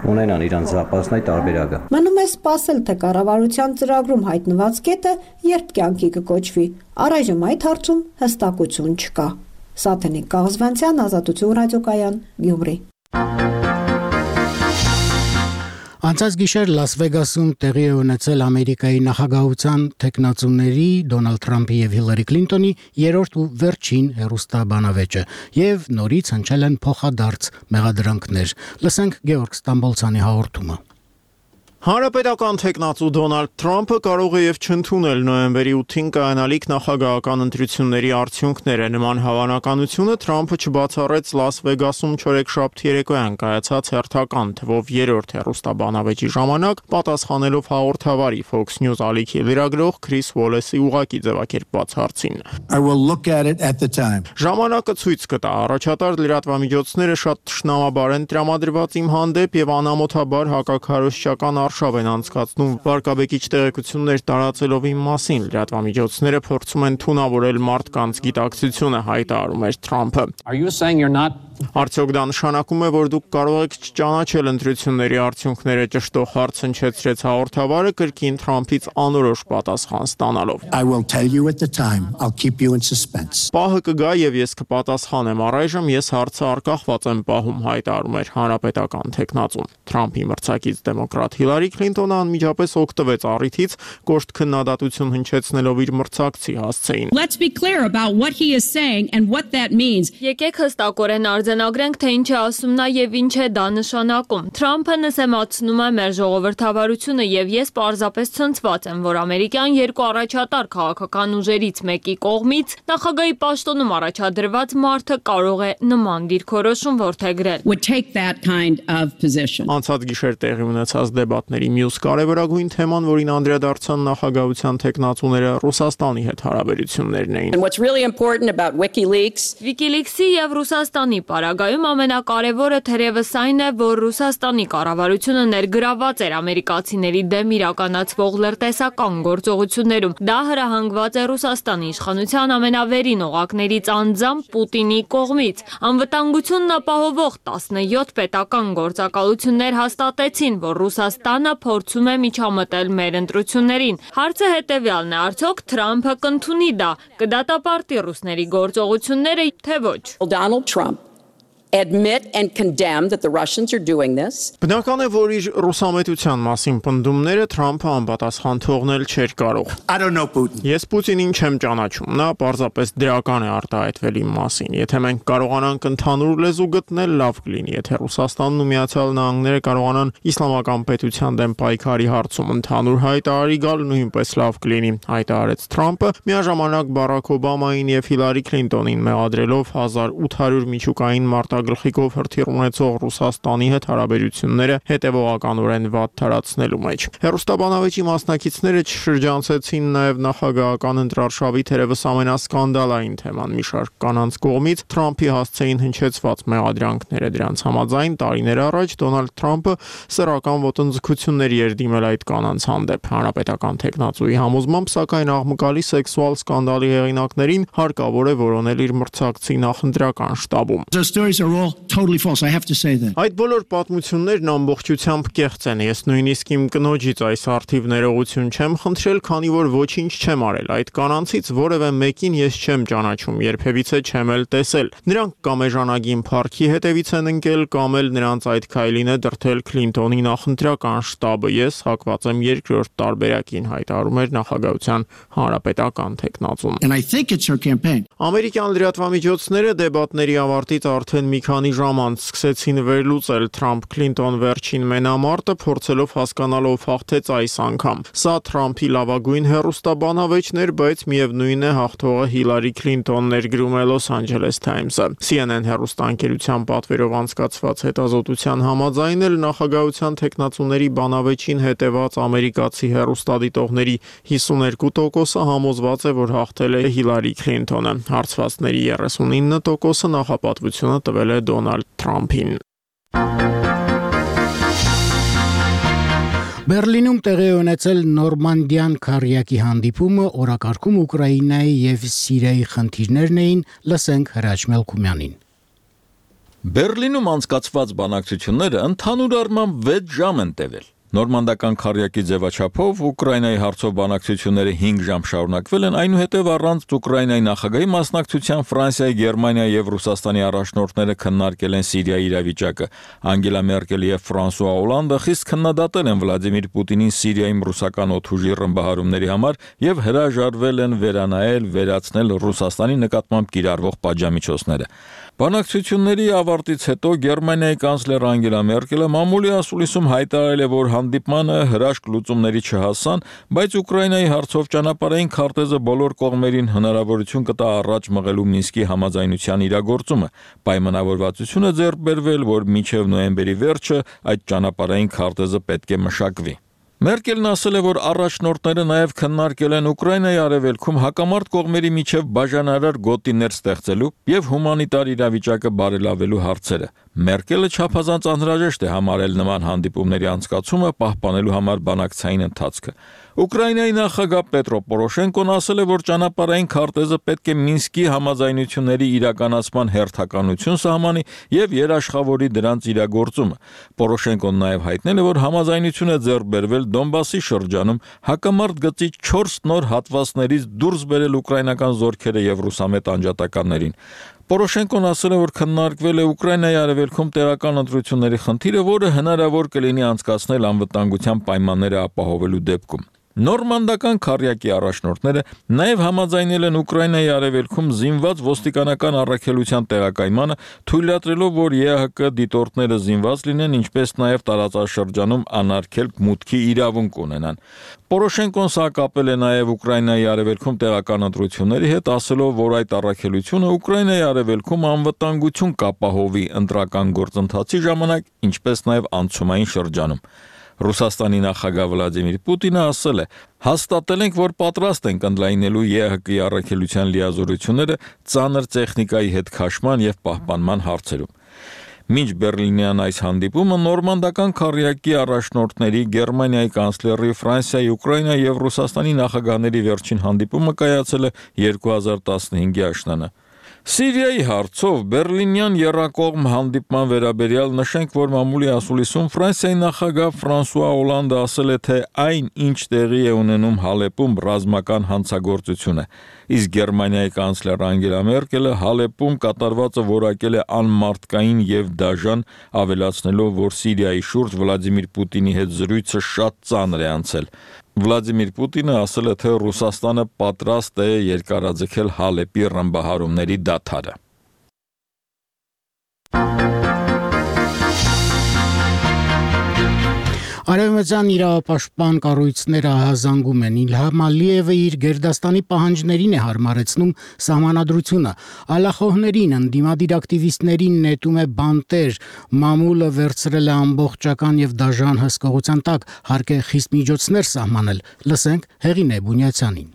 ունենան իրանց զապասնայ տարբերակը։ Մնում է սպասել, թե կառավարության ծրագրում հայտնված կետը երբ կյանքի կկոչվի։ Առայժմ այդ հարցում հստակություն չկա։ Սաթենիկ Կաղզվանցյան, Ազատություն ռադիոկայան, Գյումրի։ Անցած գիշեր Լաս Վեգասում տեղի է ունեցել Ամերիկայի նախագահության թեկնածուների Դոնալդ Թրամփի եւ Հիլարի Քլինտոնի երրորդ ու վերջին հեռուստաբանավեճը եւ նորից հնչել են փոխադարձ մեղադրանքներ։ Լսենք Գեորգ Ստամբոլցյանի հաղորդումը։ Հանրապետական թեկնածու Դոնալդ Թրամփը կարող է եւ չընդունել նոյեմբերի ութին կայանալիք նախագահական ընտրությունների արդյունքները։ Նման հավանականությունը Թրամփը չբացառեց Լաս Վեգասում չորեքշաբթի երեկոյան կայացած հերթական թվով երրորդ հեռուստաբանավեճի ժամանակ, պատասխանելով հաղորդավարի Fox News ալիքի լրագրող Քրիս Ուոլեսի ուղղակի ձևակերպված հարցին։ Ժամանակը ցույց կտա, առաջատար լրատվամիջոցները շատ թշնամաբար են տրամադրված իմ հանդեպ եւ անամոթաբար հակաքարոզչական արշավ են անցկացնում վարկաբեկիչ տեղեկություններ տարածելով իմ մասին։ Լրատվամիջոցները փորձում են թունավորել մարդկանց գիտակցությունը, հայտարարում էր Թրամփը։ Արդյոք դա նշանակում է, որ դուք կարող եք չճանաչել ընտրությունների արդյունքները, ճշտող հարց հնչեցրեց հաղորդավարը կրկին Թրամփից անորոշ պատասխան ստանալով։ Պահը կգա եւ ես կպատասխանեմ, առայժմ ես հարցը արկախված եմ պահում, հայտարարում էր հանրապետական թեկնածուն։ Թրամփի մրցակից դեմոկրատ Հիլարի Քլինտոնը անմիջապես օգտվեց առիթից, կոշտ քննադատություն հնչեցնելով իր մրցակցի հասցեին։ Եկեք հստակորեն արձանագրենք, թե ինչ է ասում նա եւ ինչ է դա նշանակում։ Թրամփը նսեմացնում է մեր ժողովրդավարությունը եւ ես պարզապես ցնցված եմ, որ ամերիկյան երկու առաջատար քաղաքական ուժերից մեկի կողմից նախագահի պաշտոնում առաջադրված մարդը կարող է նման դիրքորոշում որդեգրել։ Անցած գիշեր տեղի ունեցած դեբատների մյուս կարևորագույն թեման, որին անդրադարձան նախագահության թեկնածուները, Ռուսաստանի հետ հարաբերություններն էին։ WikiLeaks-ի եւ Ռուսաստանի պարագայում ամենակարևորը թերևս այն է, որ Ռուսաստանի կառավարությունը ներգրաված էր ամերիկացիների դեմ իրականացվող լրտեսական գործողություններում։ Դա հրահանգված է Ռուսաստանի իշխանության ամենավերին օղակներից անձամբ Պուտինի կողմից։ Անվտանգությունն ապահովող տասնյոթ պետական գործակալություններ հաստատեցին, որ Ռուսաստանը փորձում է միջամտել մեր ընտրություններին։ Հարցը հետևյալն է, արդյոք Թրամփը կընդունի դա, կդատապարտի ռուսների գործողությունները, թե ոչ։ Donald Trump admit and condemn that the Russians are doing this. Բնական է, որ իր ռուսամետության մասին պնդումները Թրամփը անպատասխան թողնել չէր կարող։ I don't know Putin. Ես Պուտինին չեմ ճանաչում, նա պարզապես դրական է արտահայտվել իմ մասին։ Եթե մենք կարողանանք ընդհանուր լեզու գտնել, լավ կլինի, եթե Ռուսաստանն ու Միացյալ Նահանգները կարողանան իսլամական պետության դեմ պայքարի հարցում ընդհանուր հայտարարի գալ, նույնպես լավ կլինի, հայտարարեց Թրամփը, միաժամանակ Բարաք Օբամային եւ Հիլարի Քլինտոնին մեղադրելով հազար ութ հարյուր միջուկային մարտագլխիկով հրթիռ ունեցող Ռուսաստանի հետ հարաբերությունները հետևողականորեն վատ թարացնելու մեջ։ Հեռուստաբանավեճի մասնակիցները չշրջանցեցին նաև նախագահական ընտրարշավի թերևս ամենասկանդալային թեման՝ մի շարք կանանց կողմից Թրամփի հասցեին հնչեցված մեղադրանքները։ Դրանց համաձայն տարիներ առաջ Դոնալդ Թրամփը սեռական ոտնձգությունների էր դիմել այդ կանանց հանդեպ։ Հանրապետական թեկնածուի համոզմամբ, սակայն աղմկալի սեքսուալ սկանդալի հեղինակներին հարկավոր է որոնել իր մրցակցի նախընտրական շտաբում։ are all totally false. I have to say that. Այդ բոլոր պատմություններն ամբողջությամբ կեղծ են։ Ես նույնիսկ իմ կնոջից այս արդիվ ներողություն չեմ խնդրել, քանի որ ոչինչ չեմ արել։ Այդ կանանցից որևէ մեկին ես չեմ ճանաչում, երբևիցե չեմ էլ տեսել։ Նրանք կամ էժանագին փառքի հետևից են ընկել, կամ էլ նրանց այդ քայլին է դրդել Քլինտոնի նախընտրական շտաբը։ Ես հակված եմ երկրորդ տարբերակին, հայտարարում էր նախագահության հանրապետական թեկնածուն։ And I think it's her campaign. Ամերիկյան լրատվամիջոցները դեբատների ավարտից արդեն մի քանի ժամ անց սկսեցին վերլուծել Թրամփ-Քլինտոն վերջին մենամարտը, փորձելով հասկանալ ով հաղթեց այս անգամ։ Սա Թրամփի լավագույն հեռուստաբանավեճն էր, բայց միևնույն է հաղթողը Հիլարի Քլինտոնն էր, գրում է Los Angeles Times-ը։ C N N հեռուստաընկերության պատվերով անցկացված հետազոտության համաձայն էլ նախագահության թեկնածուների բանավեճին հետևած ամերիկացի հեռուստադիտողների հիսուներկու տոկոսը համոզված է, որ հաղթել է Հիլարի Քլինտոնը։ Հարցվածների երեսունինը տոկոսը նախապատվությունը տվել է Դոնալդ Թրամփին։ Բերլինում տեղի ունեցել Նորմանդիան քարյակի հանդիպումը օրակարգում Ուկրաինայի եւ Սիրիայի խնդիրներն էին, լսենք Հրաչ Մելքումյանին։ Բերլինում անցկացված բանակցությունները ընդհանուր առմամբ վեց ժամ են տևել։ Նորմանդական քարյակի ձևաչափով Ուկրաինայի հարցով բանակցությունները հինգ ժամ շարունակվել են, այնուհետև առանց Ուկրաինայի նախագահի մասնակցության Ֆրանսիայի, Գերմանիայի եւ Ռուսաստանի առաջնորդները քննարկել են Սիրիայի իրավիճակը։ Անգելա Մերկելը եւ Ֆրանսուଆ Օլանդը խիստ քննադատել են Վլադիմիր Պուտինին Սիրիայում ռուսական օդուժի ռմբահարումների համար եւ հրաժարվել են վերանայել, վերացնել Ռուսաստանի նկատմամբ կիրառվող պատժամիջոցները։ Բանակցությունների ավարտից հետո Գերմանիայի կանցլեր Անգելա Մերկելը մամուլի ասուլիսում հայտարարել է, որ հանդիպմանը հրաշք լուծումների չհասան, բայց Ուկրաինայի հարցով ճանապարհային քարտեզը բոլոր կողմերին հնարավորություն կտա առաջ մղելու Մինսկի համաձայնության իրագործումը։ Պայմանավորվածություն է ձեռք բերվել, որ մինչև նոյեմբերի վերջը այդ ճանապարհային քարտեզը պետք է մշակվի։ Մերկելն ասել է, որ առաջնորդները նաև քննարկել են Ուկրաինայի արևելքում հակամարտ կողմերի միջև բաժանարար գոտիներ ստեղծելու եւ հումանիտար իրավիճակը բարելավելու հարցերը։ Մերկելը չափազանց անհրաժեշտ է համարել նման հանդիպումների անցկացումը պահպանելու համար բանակցային ընթացքը։ Ուկրաինայի նախագահ Պետրո Պորոշենկոն ասել է, որ ճանապարհային քարտեզը պետք է Մինսկի համաձայնությունների իրականացման հերթականություն սահմանի եւ երաշխավորի դրանց իրագործումը։ Պորոշենկոն նաև հայտնել է, որ համաձայնություն է ձեռք բերվել Դոնբասի շրջանում հակամարտ գծի չորս նոր հատվածներից դուրս բերել ուկրաինական զորքերը եւ ռուսամետ անջատականներին։ Պորոշենկոն ասել է, որ քննարկվել է Ուկրաինայի արևելքում տեղական ընտրությունների խնդիրը, որը հնարավոր կլինի անցկացնել անվտանգության պայմանները ապահովելու դեպքում։ Նորմանդական քարյակի առաջնորդները նաև համաձայնել են Ուկրաինայի արևելքում զինված ոստիկանական առաքելության տեղակայմանը, թույլատրելով, որ Է Հ Կ դիտորդները զինված լինեն, ինչպես նաև տարածաշրջանում անարգել մուտքի իրավունք ունենան։ Պորոշենկոն սա կապել է նաև Ուկրաինայի արևելքում տեղական ընտրությունների հետ, ասելով, որ այդ առաքելությունը Ուկրաինայի արևելքում անվտանգություն կապահովի ընտրական գործընթացի ժամանակ, ինչպես նաև անցումային շրջանում։ Ռուսաստանի նախագահ Վլադիմիր Պուտինը ասել է. հաստատել ենք, որ պատրաստ ենք ընդլայնելու Է Հ Կ-ի առաքելության լիազորությունները ծանր տեխնիկայի հետ քաշման եւ պահպանման հարցերում։ Մինչ Բերլինյան այս հանդիպումը նորմանդական քարյակի առաջնորդների Գերմանիայի կանցլերի, Ֆրանսիայի, Ուկրաինայի եւ Ռուսաստանի նախագահների վերջին հանդիպումը կայացել է երկու հազար տասնհինգի աշնանը։ Սիրիայի հարցով Բերլինյան եռակողմ հանդիպման վերաբերյալ նշենք, որ մամուլի ասուլիսում Ֆրանսիայի նախագահ Ֆրանսուଆ Օլանդը ասել է, թե այն, ինչ տեղի է ունենում Հալեպում, ռազմական հանցագործություն է, իսկ Գերմանիայի կանցլեր Անգելա Մերկելը Հալեպում կատարվածը որակել է անմարդկային եւ դաժան, ավելացնելով, որ Սիրիայի շուրջ Վլադիմիր Պուտինի հետ զրույցը շատ ծանր է անցել։ Վլադիմիր Պուտինը ասել է, թե Ռուսաստանը պատրաստ է երկարաձգել Հալեպի ռմբահարումների դադարը։ Արևմտյան իրավապաշտպան կառույցները ահազանգում են Իլհամ Ալիևը իր գերդաստանի պահանջներին է հարմարեցնում սահմանադրությունը, ալախոհներին, ընդդիմադիր ակտիվիստներին նետում է բանտեր, մամուլը վերցրել է ամբողջական եւ դաժան հսկողության տակ, հարկ է խիստ միջոցներ սահմանել, լսենք Հեղինե Բունյացյանին։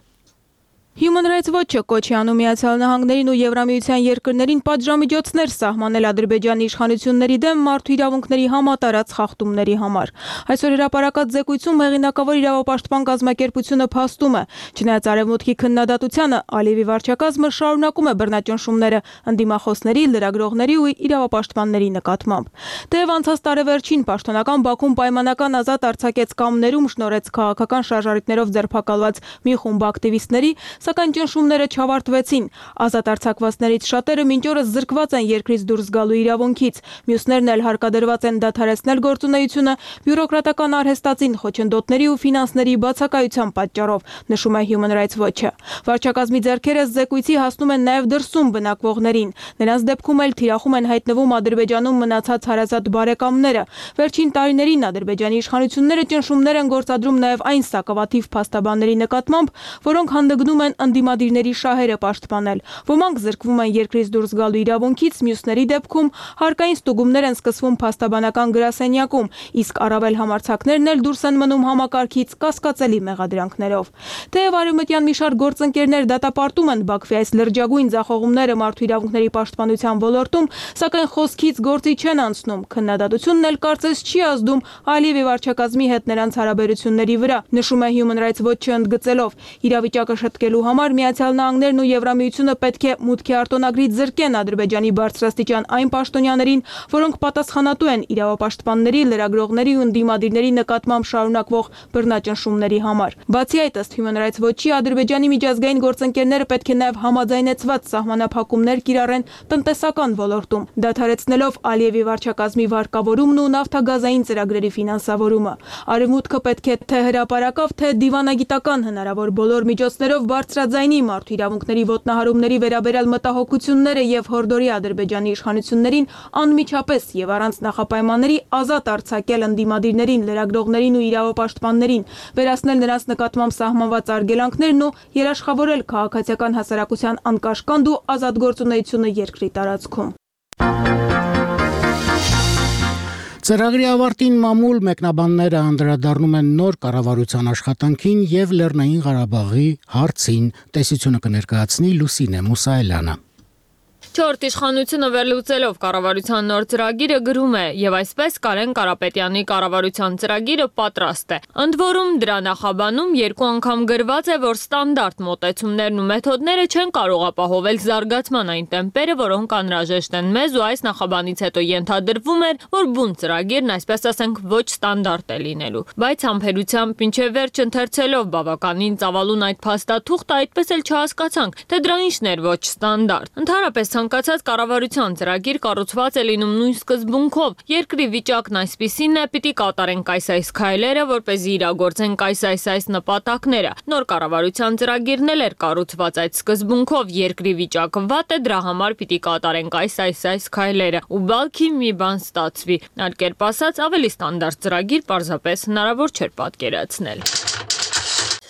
Human Rights Watch-ը կոչ է անում Միացյալ Նահանգներին ու Եվրամիության երկրներին պատժամիջոցներ սահմանել Ադրբեջանի իշխանությունների դեմ մարդու իրավունքների համատարած խախտումների համար։ Այսօր հրապարակած զեկույցում հեղինակավոր իրավապաշտպան կազմակերպությունը փաստում է, չնայած Արևմուտքի քննադատությանը, Ալիևի վարչակազմը շարունակում է բռնաճնշումները ընդդիմախոսների, լրագրողների ու իրավապաշտպանների նկատմամբ։ Թեև անցած տարեվերջին պաշտոնական Բաքուն պայմանական ազատ արձակեց կամ ներում շնորհեց քաղաքական շարժարիթներով ձերբակալված մի խումբ ակտիվիստների, սակայն ճնշումները չավարտվեցին։ Ազատ արձակվածներից շատերը մինչ օրս զրկված են երկրից դուրս գալու իրավունքից, մյուսներն էլ հարկադրված են դադարեցնել գործունեությունը բյուրոկրատական արհեստածին խոչընդոտների ու ֆինանսների բացակայության պատճառով, նշում է Human Rights Watch-ը։ Վարչակազմի ձեռքերը զեկույցի հասնում են նաև դրսում բնակվողներին։ Նրանց դեպքում էլ թիրախում են հայտնվում Ադրբեջանում մնացած հարազատ բարեկամները։ Վերջին տարիներին Ադրբեջանի իշխանությունները ճնշումներ են գործադրում նաև այն սակավաթիվ փաստաբանների նկատմամբ, որոնք հանդգնում են ընդդիմադիրների շահերը պաշտպանել։ Ոմանք զրկվում են երկրից դուրս գալու իրավունքից, մյուսների դեպքում հարկային ստուգումներ են սկսվում փաստաբանական գրասենյակում, իսկ առավել համարձակներն էլ դուրս են մնում համակարգից կասկածելի մեղադրանքներով։ Թեև արևմտյան մի շարք գործընկերներ դատապարտում են Բաքվի այս լրջագույն ձախողումները մարդու իրավունքների պաշտպանության ոլորտում, սակայն խոսքից գործի չեն անցնում։ Քննադատությունն էլ կարծես չի ազդում Ալիևի վարչակազմի հետ նրանց հարաբերությունների վրա, նշում է Human Rights Watch-ը ընդգծելով. իրավիճակը շտկելու համար Միացյալ Նահանգներն ու Եվրամիությունը պետք է մուտքի արտոնագրից զրկեն Ադրբեջանի բարձրաստիճան այն պաշտոնյաներին, որոնք պատասխանատու են իրավապաշտպանների, լրագրողների ու ընդդիմադիրների նկատմամբ շարունակվող բռնաճնշումների համար։ Բացի այդ, ըստ Human Rights Watch-ի, Ադրբեջանի միջազգային գործընկերները պետք է նաև համաձայնեցված սահմանափակումներ կիրառեն տնտեսական ոլորտում, դադարեցնելով Ալիևի վարչակազմի վարկավորումն ու նավթագազային ծրագրերի ֆինանսավորումը։ Արևմուտքը պետք է թե հրապարակավ, թե դիվանագիտական հնարավոր բոլոր միջոցներով բարձրաձայնի մարդու իրավունքների ոտնահարումների վերաբերյալ մտահոգությունները եւ հորդորի Ադրբեջանի իշխանություններին անմիջապես եւ առանց նախապայմանների ազատ արձակել ընդդիմադիրներին, լրագրողներին ու իրավապաշտպաններին, վերացնել նրանց նկատմամբ սահմանված արգելանքներն ու երաշխավորել քաղաքացիական հասարակության անկաշկանդ ու ազատ գործունեությունը երկրի տարածքում։ Ծրագրի ավարտին մամուլ մեկնաբանները անդրադառնում են նոր կառավարության աշխատանքին եւ Լեռնային Ղարաբաղի հարցին, տեսությունը կներկայացնի Լուսինե Մուսայելյանը։ Չորրորդ իշխանությունը վերլուծելով կառավարության նոր ծրագիրը գրում է, եւ այսպես Կարեն Կարապետյանի կառավարության ծրագիրը պատրաստ է։ Ընդ որում դրա նախաբանում երկու անգամ գրված է, որ ստանդարտ մոտեցումներն ու մեթոդները չեն կարող ապահովել զարգացման այն տեմպերը, որոնք անհրաժեշտ են մեզ, ու այս նախաբանից հետո ենթադրվում էր, որ բուն ծրագիրն, այսպես ասենք, ոչ ստանդարտ է լինելու։ Բայց համբերությամբ մինչև վերջ ընթերցելով բավականին ծավալուն այդ փաստաթուղթը, այդպես էլ չհասկացանք, թե դրա ինչն էր ոչ ստանդարտ։ Ընդհանրապես ցանկացած կառավարության ծրագիր կառուցված է լինում նույն սկզբունքով։ Երկրի վիճակն այսպիսին է, պիտի կատարենք այս-այս քայլերը, որպեսզի իրագործենք այս-այս-այս նպատակները։ Նոր կառավարության ծրագիրն էլ էր կառուցված այդ սկզբունքով։ Երկրի վիճակը վատ է, դրա համար պիտի կատարենք այս-այս-այս քայլերը։ Ու բալքի մի բան ստացվի։ Այլ կերպ ասած, ավելի ստանդարտ ծրագիր պարզապես հնարավոր չէր պատկերացնել։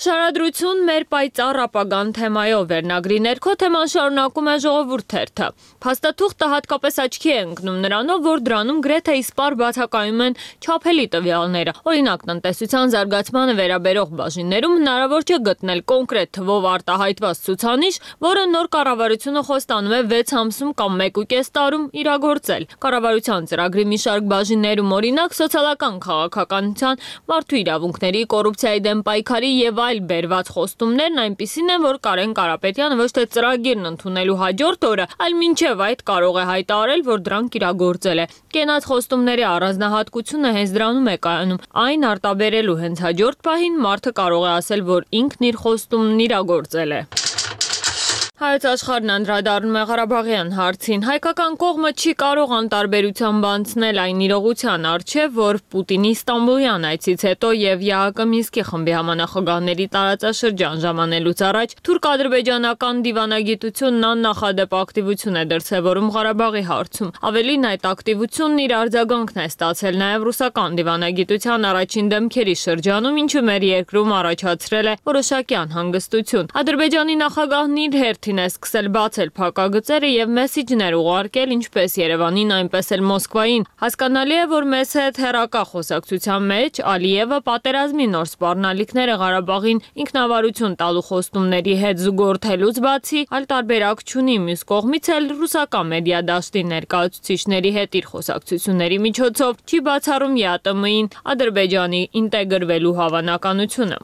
Շարադրություն մեր պայծառ ապագան թեմայով վերնագրի ներքո թեման շարունակում է Ժողովուրդ թերթը։ Փաստաթուղթը հատկապես աչքի է ընկնում նրանով, որ դրանում գրեթե իսպառ բացակայում են չափելի տվյալները։ Օրինակ, տնտեսության զարգացմանը վերաբերող բաժիններում հնարավոր չէ գտնել կոնկրետ թվով արտահայտված ցուցանիշ, որը նոր կառավարությունը խոստանում է վեց ամսում կամ մեկուկես տարում իրագործել։ Կառավարության ծրագրի մի շարք բաժիններում, օրինակ, սոցիալական քաղաքականության, մարդու իրավունքների, կոռուպցիայի դեմ պայքարի եւ այլ բերված խոստումներն այնպիսին են, որ Կարեն Կարապետյանը ոչ թե ծրագիրն ընդունելու հաջորդ օրը, այլ մինչև այդ կարող է հայտարարել, որ դրանք իրագործել է։ Կենաց խոստումների առանձնահատկությունը հենց դրանում է կայանում։ Այն արտաբերելու հենց հաջորդ պահին մարդը կարող է ասել, որ ինքն իր խոստումն իրագործել է։ Հայոց աշխարհն անդրադառնում է Ղարաբաղյան հարցին։ Հայկական կողմը չի կարող անտարբերությամբ անցնել այն իրողության առջև, որ Պուտինի Ստամբուլյան այցից հետո եւ ԵԱՀԿ Մինսկի խմբի համանախագահների տարածաշրջան ժամանելուց առաջ թուրք-ադրբեջանական դիվանագիտությունն աննախադեպ ակտիվություն է դրսևորում Ղարաբաղի հարցում։ Ավելին, այդ ակտիվությունն իր արձագանքն է ստացել նաեւ ռուսական դիվանագիտության առաջին դեմքերի շրջանում, ինչը մեր երկրում առաջացրել է որոշակի անհանգստություն։ Ադրբեջանի նախագահն իր հերթին Պուտինը սկսել բացել փակագծերը եւ մեսիջներ ուղարկել ինչպես Երևանին, այնպես էլ Մոսկվային։ Հասկանալի է, որ մեզ հետ հերակա խոսակցության մեջ Ալիևը պատերազմի նոր սպառնալիքները Ղարաբաղին ինքնավարություն տալու խոստումների հետ զուգորդելուց բացի, այլ տարբերակ չունի մյուս կողմից էլ ռուսական մեդիա դաշտի ներկայացուցիչների հետ իր խոսակցությունների միջոցով չի բացառում ԵԱՏՄ-ին Ադրբեջանի ինտեգրվելու հավանականությունը։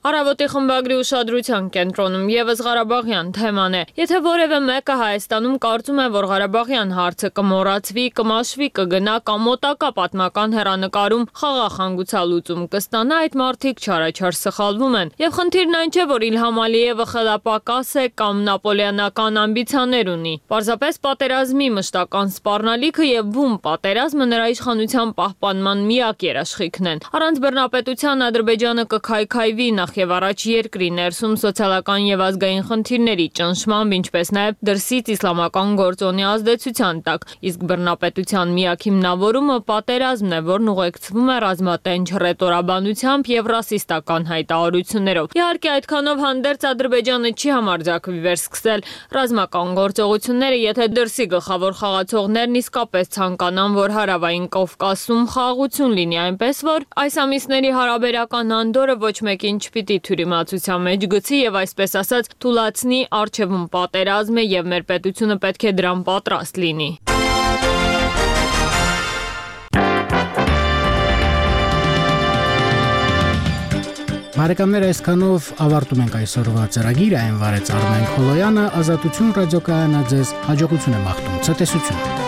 Առավոտի խմբագրի ուշադրության կենտրոնում եւս Ղարաբաղյան թեման է։ Եթե որևէ մեկը Հայաստանում կարծում է, որ Ղարաբաղյան հարցը կմոռացվի, կմաշվի, կգնա կամ մոտակա պատմական հեռանկարում խաղաղ հանգուցալուծում կստանա, այդ մարդիկ չարաչար սխալվում են։ Եվ խնդիրն այն չէ, որ Իլհամ Ալիևը խելապակաս է կամ նապոլեոնական ամբիցիաներ ունի։ Պարզապես պատերազմի մշտական սպառնալիքը եւ բում պատերազմը նրա իշխանության պահպանման միակ երաշխիքն են։ Առանց բռնապետության Ադրբեջանը կքայքայվի նախ եւ առաջ երկրի ներսում սոցիալական եւ ազգային խնդիրների ճնշմամբ, ինչպես նաեւ դրսից իսլամական գործոնի ազդեցության տակ, իսկ բռնապետության միակ հիմնավորումը պատերազմն է, որն ուղեկցվում է ռազմատենչ ռետորաբանությամբ եւ ռասիստական հայտարարություններով։ Իհարկե, այդքանով հանդերձ Ադրբեջանը չի համարձակվի վերսկսել ռազմական գործողությունները, եթե դրսի գլխավոր խաղացողներն իսկապես ցանկանան, որ հարավային Կովկասում խաղաղություն լինի, այնպես որ այս ամիսների հարաբերական անդորը ոչ մեկին չպիտի թյուրիմացության մեջ գցի եւ այսպես ասած թուլացնի արչեվում պատերազմ է եւ մեր պետությունը պետք է դրան պատրաստ լինի։ Բարեկամներ, այսքանով ավարտում ենք այսօրվա ծրագիրը, այն վարեց Արմեն Խոլոյանը, Ազատություն ռադիոկայանը ձեզ հաջողություն է մաղթում, ցտեսություն։